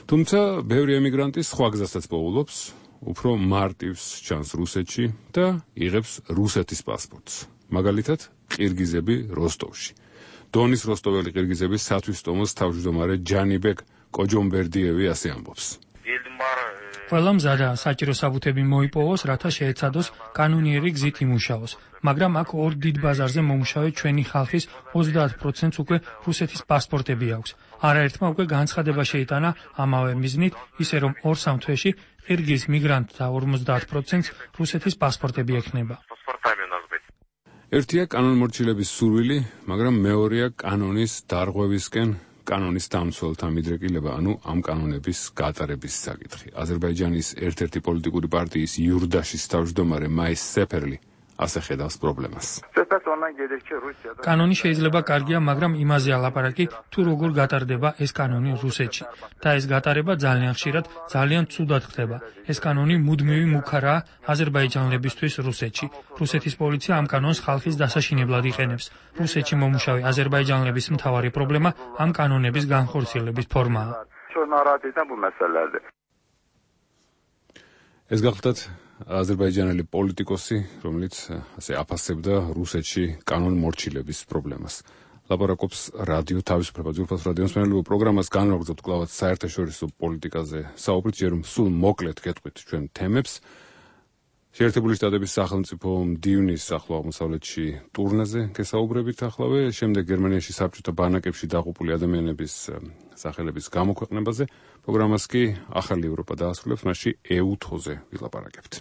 თუმცა ბევრი ემიგრანტი სხვა გზასაც პოულობს, უფრო მარტივს ჩანს რუსეთში და იღებს რუსეთის პასპორტს. მაგალითად, ყირგიზები როსტოვში. დონის როსტოველი ყირგიზები სათვისტომოს თავმჯდომარე ჯანიბეკ კოჯომბერდიევი ასე ამბობს. ყველა მზადაა საჭირო საბუთები მოიპოვოს, რათა შეეცადოს კანონიერი გზით იმუშაოს. მაგრამ აქ ორ დიდ ბაზარზე მომუშავე ჩვენი ხალხის 30%-ს უკვე რუსეთის პასპორტები აქვს. არაერთმა უკვე განცხადება შეიტანა ამავე მიზნით, ისე რომ 2-3 თვეში ყირგიზ მიგრანტთა 50%-ს რუსეთის პასპორტები ექნება. ერთია კანონმორჩილების სურვილი, მაგრამ მეორეა კანონის დარღვევისკენ კანონის დამცველთა მიდრეკილება, ანუ ამ კანონების გატარების საკითხი. აზერბაიჯანის ერთ-ერთი პოლიტიკური პარტიის იურდაშის თავმჯდომარე მაის სეფერლი ასე ხედავს პრობლემას. კანონი შეიძლება კარგია, მაგრამ იმაზე ალაპარაკი, თუ როგორ გატარდება ეს კანონი რუსეთში. და ეს გატარება ძალიან ხშირად, ძალიან ცუდად ხდება. ეს კანონი მუდმივი მუქარაა აზერბაიჯანელებისთვის რუსეთში. რუსეთის პოლიცია ამ კანონს ხალხის დასაშინებლად იყენებს. რუსეთში მომუშავე აზერბაიჯანელების მთავარი პრობლემა ამ კანონების განხორციელების ფორმაა. ეს გახლდათ აზერბაიჯანელი პოლიტიკოსი, რომელიც ასე აფასებდა რუსეთში კანონმორჩილების პრობლემას. ლაპარაკობს რადიო თავისუფლება ძვირფას რადიოს მსმენელებო პროგრამას განვაგრძობთ კვლავაც საერთაშორისო პოლიტიკაზე საუბრით, ჯერ სულ მოკლედ გეტყვით ჩვენ თემებს. შეერთებული შტატების სახელმწიფო მდივნის ახლო აღმოსავლეთში ტურნეზე გესაუბრებითახლავე, შემდეგ გერმანიაში საბჭოთა ბანაკებში დაღუპული ადამიანების სახელების გამოქვეყნებაზე, პროგრამას კი ახალი ევროპა დაასრულებს, მასში EU-ზე ვილაპარაკებთ.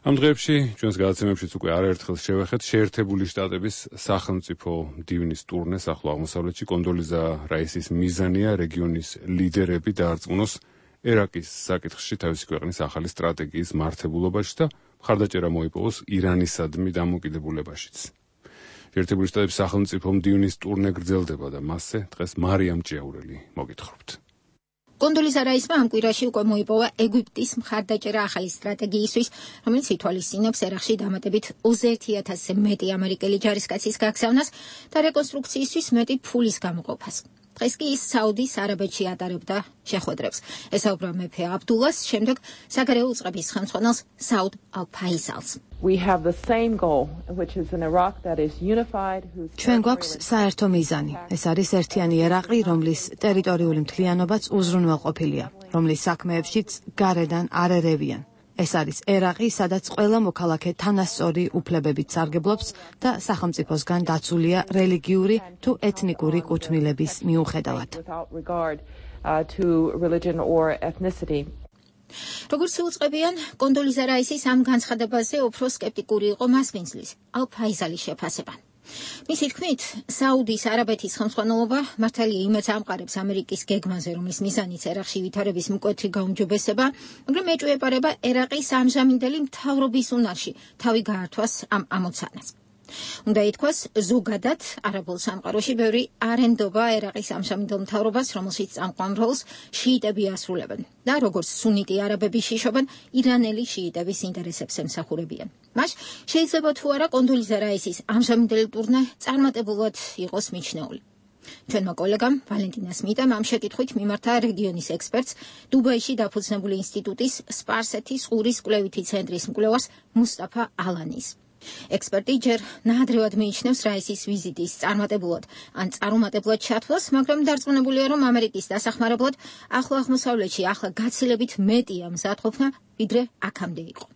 ამ დღეებში ჩვენს გადაცემებშიც უკვე არაერთხელ შევეხეთ შეერთებული შტატების სახელმწიფო მდივნის ტურნეს ახლო აღმოსავლეთში. კონდოლიზა რაისის მიზანია რეგიონის ლიდერები დაარწმუნოს ერაკის საკითხში თავისი ქვეყნის ახალი სტრატეგიის მართებულობაში და მხარდაჭერა მოიპოვოს ირანისადმი დამოკიდებულებაშიც. შეერთებული შტატების სახელმწიფო მდივნის ტურნე გრძელდება და მასზე დღეს მარიამ ჭიაურელი მოგითხრობთ. კონდოლიზა რაისმა ამ კვირაში უკვე მოიპოვა ეგვიპტის მხარდაჭერა ახალი სტრატეგიისთვის, რომელიც ითვალისწინებს ერაყში დამატებით 21,000-ზე მეტი ამერიკელი ჯარისკაცის გაგზავნას და რეკონსტრუქციისთვის მეტი ფულის გამოყოფას. დღეს კი ის საუდის არაბეთში ატარებდა შეხვედრებს. ესაუბრა მეფე აბდულას, შემდეგ საგარეო უწყების ხელმძღვანელს საუდ ალ-ფაისალს. ჩვენ გვაქვს საერთო მიზანი. ეს არის ერთიანი ერაყი, რომლის ტერიტორიული მთლიანობაც უზრუნველყოფილია, რომლის საქმეებშიც გარედან არ ერევიან. ეს არის ერაყი, სადაც ყველა მოქალაქე თანასწორი უფლებებით სარგებლობს და სახელმწიფოსგან დაცულია რელიგიური თუ ეთნიკური კუთვნილების მიუხედავად. როგორც უწყებიან, კონდოლიზა რაისის ამ განცხადებაზე უფრო სკეპტიკური იყო მასპინძლის ალ-ფაისალის შეფასება. მისი თქმით, საუდის არაბეთის ხელმძღვანელობა მართალია იმედს ამყარებს ამერიკის გეგმაზე, რომლის მიზანიც ერაყში ვითარების მკვეთრი გაუმჯობესება, მაგრამ ეჭვეპარება ერაყის ამჟამინდელი მთავრობის უნარში თავი გაართვას ამ ამოცანას. უნდა ითქვას, ზოგადად არაბულ სამყაროში ბევრი არ ენდობა ერაყის ამჟამინდელ მთავრობას, რომელშიც წამყვან როლს შიიტები ასრულებენ და როგორც სუნიტი არაბები შიშობენ, ირანელი შიიტების ინტერესებს ემსახურებიან. მას შეიძლება თუ არა კონდოლიზა რაისის ამჟამინდელი ტურნე წარმატებულად იყოს მიჩნეული. ჩვენმა კოლეგამ ვალენტინა სმიტამ ამ შეკითხვით მიმართა რეგიონის ექსპერტს, დუბაიში დაფუძნებული ინსტიტუტის სპარსეთის ყურის კვლევითი ცენტრის მკვლევარს მუსტაფა ალანის. ექსპერტი ჯერ ნაადრევად მიიჩნევს რაისის ვიზიტის წარმატებულად ან წარუმატებლად ჩათვლას, მაგრამ დარწმუნებულია, რომ ამერიკის დასახმარებლად ახლო აღმოსავლეთში ახლა გაცილებით მეტია მზადყოფნა, ვიდრე აქამდე იყო.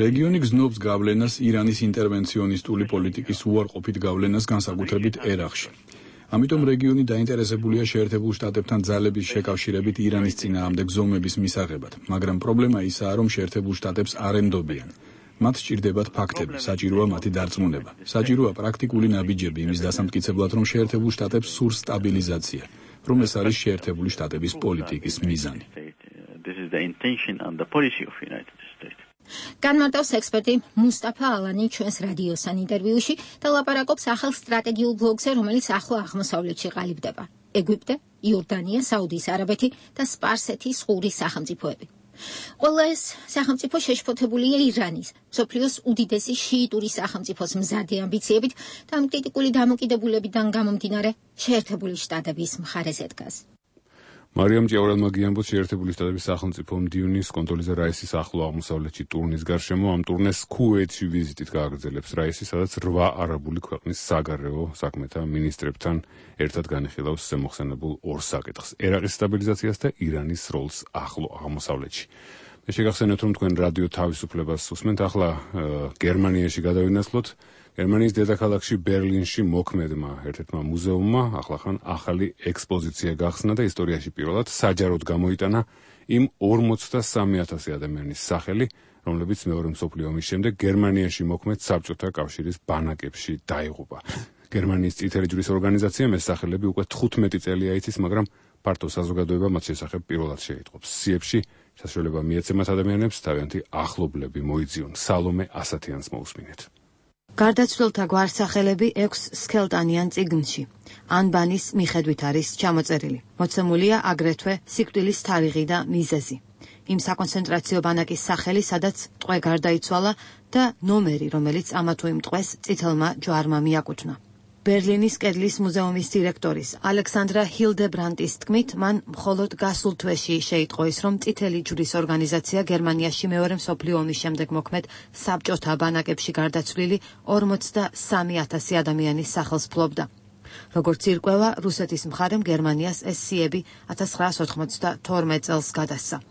რეგიონი გზნობს გავლენას ირანის ინტერვენციონისტული პოლიტიკის უარყოფით გავლენას განსაკუთრებით ერაყში. ამიტომ რეგიონი დაინტერესებულია შეერთებულ შტატებთან ძალების შეკავშირებით ირანის წინააღმდეგ ზომების მისაღებად, მაგრამ პრობლემა ისაა, რომ შეერთებულ შტატებს არ ემდობიან. მათ სჭირდებათ ფაქტები, საჭიროა მათი დარწმუნება. საჭიროა პრაქტიკული ნაბიჯები იმის დასამტკიცებლად, რომ შეერთებულ შტატებს სურს სტაბილიზაცია, რომ ეს არის შეერთებული შტატების პოლიტიკის მიზანი. განმარტავს ექსპერტი მუსტაფა ალანი ჩვენს რადიოსთან ინტერვიუში და ლაპარაკობს ახალ სტრატეგიულ ბლოკზე, რომელიც ახლო აღმოსავლეთში ყალიბდება. ეგვიპტე, იორდანია, საუდის არაბეთი და სპარსეთის ყურის სახელმწიფოები. ყველა ეს სახელმწიფო შეშფოთებულია ირანის, მსოფლიოს უდიდესი შიიტური სახელმწიფოს მზარდი ამბიციებით და ამ კრიტიკული დამოკიდებულებიდან გამომდინარე შეერთებული შტატების მხარეზე დგას. მარიამ ჭიაურელმა გიამბოს შეერთებული შტატების სახელმწიფო მდივნის კონდოლიზა რაისის ახლო აღმოსავლეთში ტურნის გარშემო ამ ტურნეს ქუვეითში ვიზიტით გააგრძელებს რაისი, სადაც 8 არაბული ქვეყნის საგარეო საქმეთა მინისტრებთან ერთად განიხილავს ზემოხსენებულ ორ საკითხს: ერაყის სტაბილიზაციას და ირანის როლს ახლო აღმოსავლეთში. მე შეგახსენებთ, რომ თქვენ რადიო თავისუფლებას უსმენთ. ახლა გერმანიაში გადავინაცვლოთ. გერმანიის დედაქალაქში ბერლინში მოქმედმა ერთ-ერთმა მუზეუმმა ახლახან ახალი ექსპოზიცია გახსნა და ისტორიაში პირველად საჯაროდ გამოიტანა იმ 43,000 ადამიანის სახელი, რომლებიც მეორე მსოფლიო ომის შემდეგ გერმანიაში მოქმედ საბჭოთა კავშირის ბანაკებში დაიღუპა. გერმანიის წითელი ჯვრის ორგანიზაციამ ეს სახელები უკვე 15 წელია იცის, მაგრამ ფართო საზოგადოება მათ შესახებ პირველად შეიტყობს. სიებში საშუალება მიეცემათ ადამიანებს თავიანთი ახლობლები მოიძიონ. სალომე ასათიანს მოусმინეთ. გარდაცვლილთა გვარსახელები 6 სქელტანიან წიგნში. ანბანის მიხედვით არის ჩამოწერილი. მოცემულია აგრეთვე სიკვდილის თარიღი და მიზეზი. იმ საკონცენტრაციო ბანაკის სახელი, სადაც ტყვე გარდაიცვალა და ნომერი, რომელიც ამა თუ იმ ტყვეს წითელმა ჯვარმა მიაკუთვნა. ბერლინის კედლის მუზეუმის დირექტორის ალექსანდრა ჰილდებრანტის თქმით, მან მხოლოდ გასულ თვეში შეიტყო ის, რომ წითელი ჯვრის ორგანიზაცია გერმანიაში მეორე მსოფლიო ომის შემდეგ მოქმედ საბჭოთა ბანაკებში გარდაცვლილი 43,000 ადამიანის სახელს ფლობდა. როგორც ირკვევა, რუსეთის მხარემ გერმანიას ეს სიები 1992 წელს გადასცა.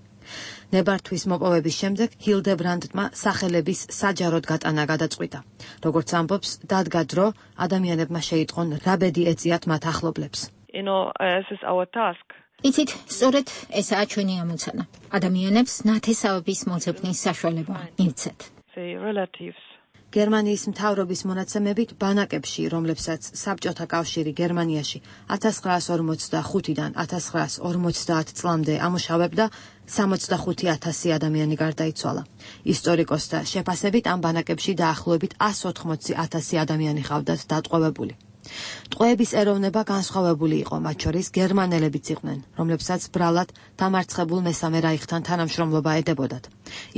ნებართვის მოპოვების შემდეგ ჰილდებრანდტმა სახელების საჯაროდ გატანა გადაწყვიტა. როგორც ამბობს, დადგა დრო ადამიანებმა შეიტყონ რა ბედი ეწიათ მათ ახლობლებს. იცით, სწორედ ესაა ჩვენი ამოცანა. ადამიანებს ნათესავების მოძებნის საშუალება მივცეთ. გერმანიის მთავრობის მონაცემებით ბანაკებში, რომლებსაც საბჭოთა კავშირი გერმანიაში 1945-დან 1950 წლამდე ამუშავებდა, 65,000 ადამიანი გარდაიცვალა. ისტორიკოსთა შეფასებით ამ ბანაკებში დაახლოებით 180,000 ადამიანი ჰყავდათ დატყვევებული. ტყვეების ეროვნება განსხვავებული იყო, მათ შორის გერმანელებიც იყვნენ, რომლებსაც ბრალად დამარცხებულ მესამე რაიხთან თანამშრომლობა ედებოდათ.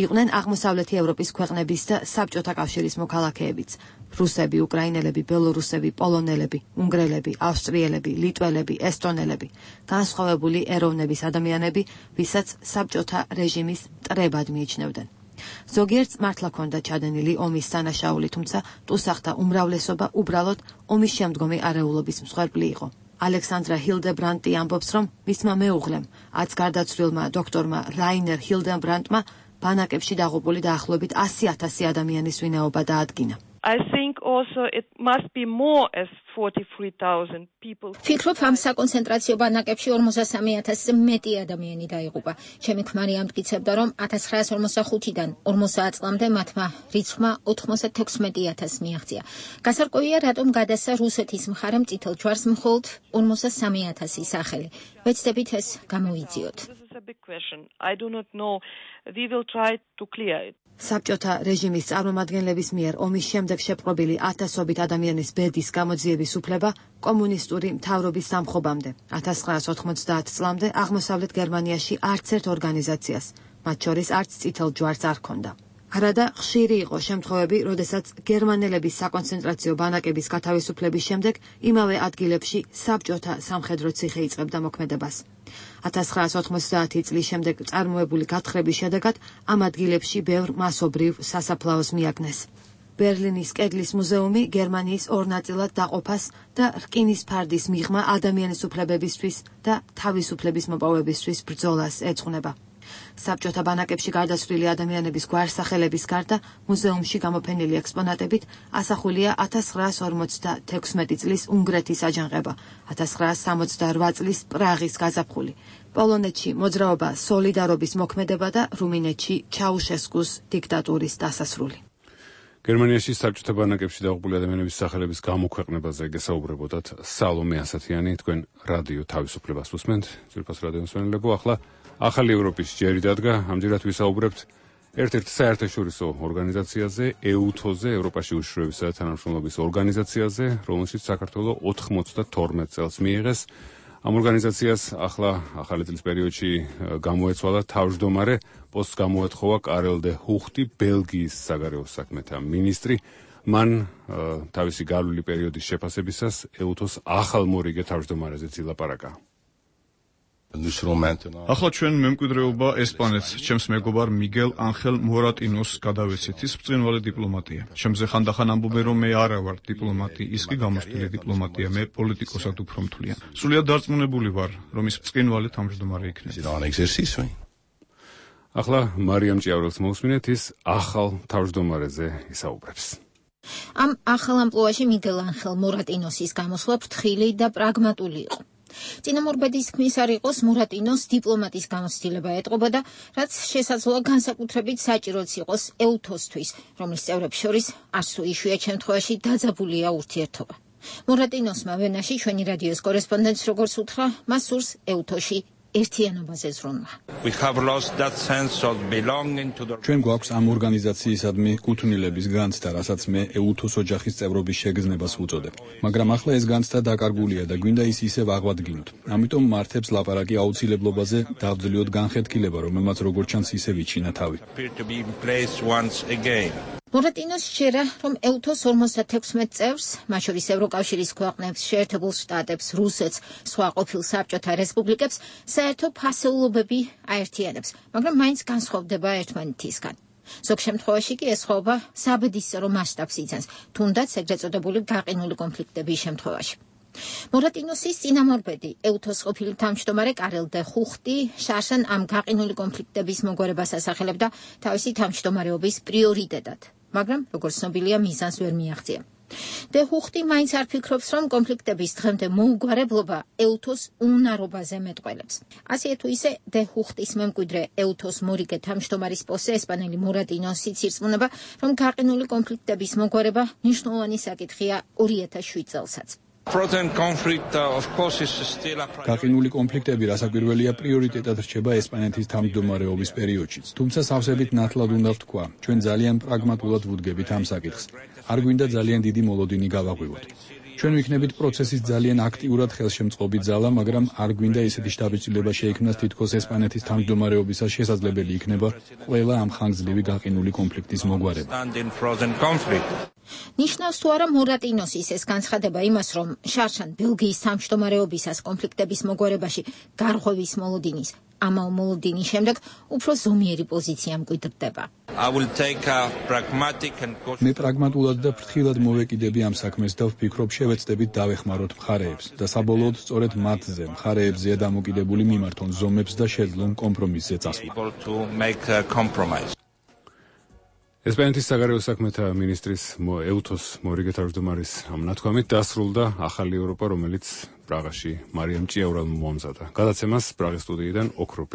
იყვნენ აღმოსავლეთი ევროპის ქვეყნების და საბჭოთა კავშირის მოქალაქეებიც: რუსები, უკრაინელები, ბელორუსები, პოლონელები, უნგრელები, ავსტრიელები, ლიტველები, ესტონელები, განსხვავებული ეროვნების ადამიანები, ვისაც საბჭოთა რეჟიმის მტრებად მიიჩნევდნენ. ზოგიერთს მართლა ჰქონდა ჩადენილი ომის სანაშაული, თუმცა ტუსახთა უმრავლესობა უბრალოდ ომის შემდგომი არეულობის მსხვერპლი იყო. ალექსანდრა ჰილდებრანდტი ამბობს, რომ მისმა მეუღლემ, აც გარდაცვლილმა დოქტორმა რაინერ ჰილდენბრანდტმა ბანაკებში დაღუპული დაახლოებით 100,000 ადამიანის ვინაობა დაადგინა. I think also it must be more as 43,000 people. Ფიქრობ, ამ საკონცენტრაციო ბანაკებში 43,000-ზე მეტი ადამიანი დაიღუპა. ჩემი ქმარი ამტკიცებდა, რომ 1945-დან 50 წლამდე მათმა რიცხვმა 96,000 მიაღწია. გასარკვევია, რატომ გადასცა რუსეთის მხარემ წითელ ჯვარს მხოლოდ 53,000 სახელი. ვეცდებით ეს გამოვიძიოთ. This is a big question. I do not know. We will try to clear it. საბჭოთა რეჟიმის წარმომადგენლების მიერ ომის შემდეგ შეპყრობილი ათასობით ადამიანის ბედის გამოძიების უფლება კომუნისტური მთავრობის დამხობამდე 1990 წლამდე აღმოსავლეთ გერმანიაში არც ერთ ორგანიზაციას, მათ შორის არც წითელ ჯვარს არ ჰქონდა. არადა ხშირი იყო შემთხვევები, როდესაც გერმანელების საკონცენტრაციო ბანაკების გათავისუფლების შემდეგ იმავე ადგილებში საბჭოთა სამხედრო ციხე იწყებდა მოქმედებას. 1990 წლის შემდეგ წარმოებული გათხრების შედეგად ამ ადგილებში ბევრ მასობრივ სასაფლაოს მიაგნეს. ბერლინის კედლის მუზეუმი გერმანიის ორ ნაწილად დაყოფას და რკინის ფარდის მიღმა ადამიანის უფლებებისთვის და თავისუფლების მოპოვებისთვის ბრძოლას ეძღვნება. საბჭოთა ბანაკებში გარდაცვლილი ადამიანების გვარსახელების გარდა მუზეუმში გამოფენილი ექსპონატებით ასახულია 1956 წლის უნგრეთის აჯანყება, 1968 წლის პრაღის გაზაფხული, პოლონეთში მოძრაობა სოლიდარობის მოქმედება და რუმინეთში ჩაუშესკუს დიქტატურის დასასრული. გერმანიაში საბჭოთა ბანაკებში დაღუპული ადამიანების სახელების გამოქვეყნებაზე გესაუბრებოდათ სალომე ასათიანი, თქვენ რადიო თავისუფლებას უსმენთ, ძვირფას რადიო მსმენელებო. ახლა ახალი ევროპის ჯერი დადგა, ამჯერად ვისაუბრებთ ერთ-ერთ საერთაშორისო ორგანიზაციაზე, EUTO-ზე, ევროპაში უშიშროებისა და თანამშრომლობის ორგანიზაციაზე, რომელშიც საქართველოს 92 წელს მიიღეს. ამ ორგანიზაციას ახლა ახალი წლის პერიოდში გამოეცვალა თავმჯდომარე, პოსტს გამოეთხოვა კარელ დე ჰუხტი, ბელგიის საგარეო საქმეთა მინისტრი. მან თავისი გავლილი პერიოდის შეფასებისას EUTO-ს ახალ მორიგე თავმჯდომარეზე ილაპარაკა. ახლა ჩვენ მემკვიდრეობა ესპანეთს, ჩემს მეგობარ მიგელ ანხელ მორატინოს გადავეცით, ის ბრწყინვალე დიპლომატია. ჩემზე ხანდახან ამბობენ, რომ მე არა ვარ დიპლომატი, ის კი გამოსტილი დიპლომატია, მე პოლიტიკოსად უფრო მთლიან. სრულიად დარწმუნებული ვარ, რომ ის ბრწყინვალე თავმჯდომარე იქნება. ახლა მარიამ ჭიავრელს მოусმინეთ, ის ახალ თავმჯდომარეზე ისაუბრებს. ამ ახალ ამპლუაში მიგელ ანხელ მორატინოსის გამოსვლა ფრთხილი და პრაგმატული იყო. წინამორბედის თქმის არ იყოს, მორატინოს დიპლომატის გამოცდილება ეტყობოდა, რაც შესაძლოა განსაკუთრებით საჭიროც იყოს EUTO-სთვის, რომლის წევრებს შორის არც თუ იშვიათ შემთხვევაში დაძაბულია ურთიერთობა. მორატინოსმა ვენაში ჩვენი რადიოს კორესპონდენტს როგორც უთხრა, მას სურს EUTO-ში ერთიანობაზე ზრუნვა. ჩვენ გვაქვს ამ ორგანიზაციისადმი კუთვნილების განცდა, რასაც მე EUTO-s ოჯახის წევრობის შეგრძნებას ვუწოდებ. მაგრამ ახლა ეს განცდა დაკარგულია და გვინდა ის ისევ აღვადგინოთ. ამიტომ მართებს ლაპარაკი აუცილებლობაზე დავძლიოთ განხეთქილება, რომელმაც როგორც ჩანს ისევ იჩინა თავი. მორატინოს შეერა, რომ EUTO-s 56 წევრს, მათ შორის ევროკავშირის ქვეყნებს, შეერთებულ შტატებს, რუსეთს, სხვა ყოფილ საბჭოთა რესპუბლიკებს, საერთო ფასეულობები აერთიანებს, მაგრამ მაინც განსხვავდება ერთმანეთისგან. ზოგ შემთხვევაში კი ეს სხვაობა საბედისწერო მასშტაბს იძენს, თუნდაც ეგრეთ წოდებული გაყინული კონფლიქტების შემთხვევაში. მორატინოსის წინამორბედი, EUTO-s ყოფილი თავმჯდომარე კარელ დე ჰუხტი შარშან ამ გაყინული კონფლიქტების მოგვარებას ასახელებდა თავისი თავმჯდომარეობის პრიორიტეტად. მაგრამ, როგორც ცნობილია, მიზანს ვერ მიაღწია. დე ჰუხტი მაინც არ ფიქრობს, რომ კონფლიქტების დღემდე მოუგვარებლობა ეუთოს უნარობაზე მეტყველებს. ასე თუ ისე, დე ჰუხტის მემკვიდრე ეუთოს მორიგე თავმჯდომარის პოსტზე ესპანელი მორატინოსიც ირწმუნება, რომ გაყინული კონფლიქტების მოგვარება მნიშვნელოვანი საკითხია 2007 წელსაც. გაყინული კონფლიქტები რასაკვირველია პრიორიტეტად რჩება ესპანეთის თავმჯდომარეობის პერიოდშიც, თუმცა სავსებით ნათლად უნდა ვთქვა, ჩვენ ძალიან პრაგმატულად ვუდგებით ამ საკითხს. არ გვინდა ძალიან დიდი მოლოდინი გავაღვივოთ. ჩვენ ვიქნებით პროცესის ძალიან აქტიურად ხელშემწყობი ძალა, მაგრამ არ გვინდა ისეთი შთაბეჭდილება შეიქმნას, თითქოს ესპანეთის თავმჯდომარეობისას შესაძლებელი იქნება ყველა ამ ხანგრძლივი გაყინული კონფლიქტის მოგვარება. ნიშნავს თუ არა მორატინოსის ეს განცხადება იმას, რომ შარშან ბელგიის თავმჯდომარეობისას კონფლიქტების მოგვარებაში გარღვევის მოლოდინის ამავ მოლოდინის შემდეგ უფრო ზომიერი პოზიცია მკვიდრდება. მე პრაგმატულად და ფრთხილად მოვეკიდები ამ საქმეს და ვფიქრობ, შევეცდებით დავეხმაროთ მხარეებს და საბოლოოდ სწორედ მათზე, მხარეებზეა დამოკიდებული მიმართონ ზომებს და შეძლონ კომპრომისზე წასვლა. ესპანეთის საგარეო საქმეთა მინისტრის ეუთოს მორიგე თავმჯდომარის ამ ნათქვამით დასრულდა ახალი ევროპა, რომელიც პრაღაში მარიამ ჭიაურამ მოამზადა. გადაცემას პრაღის სტუდიიდან ოქროპი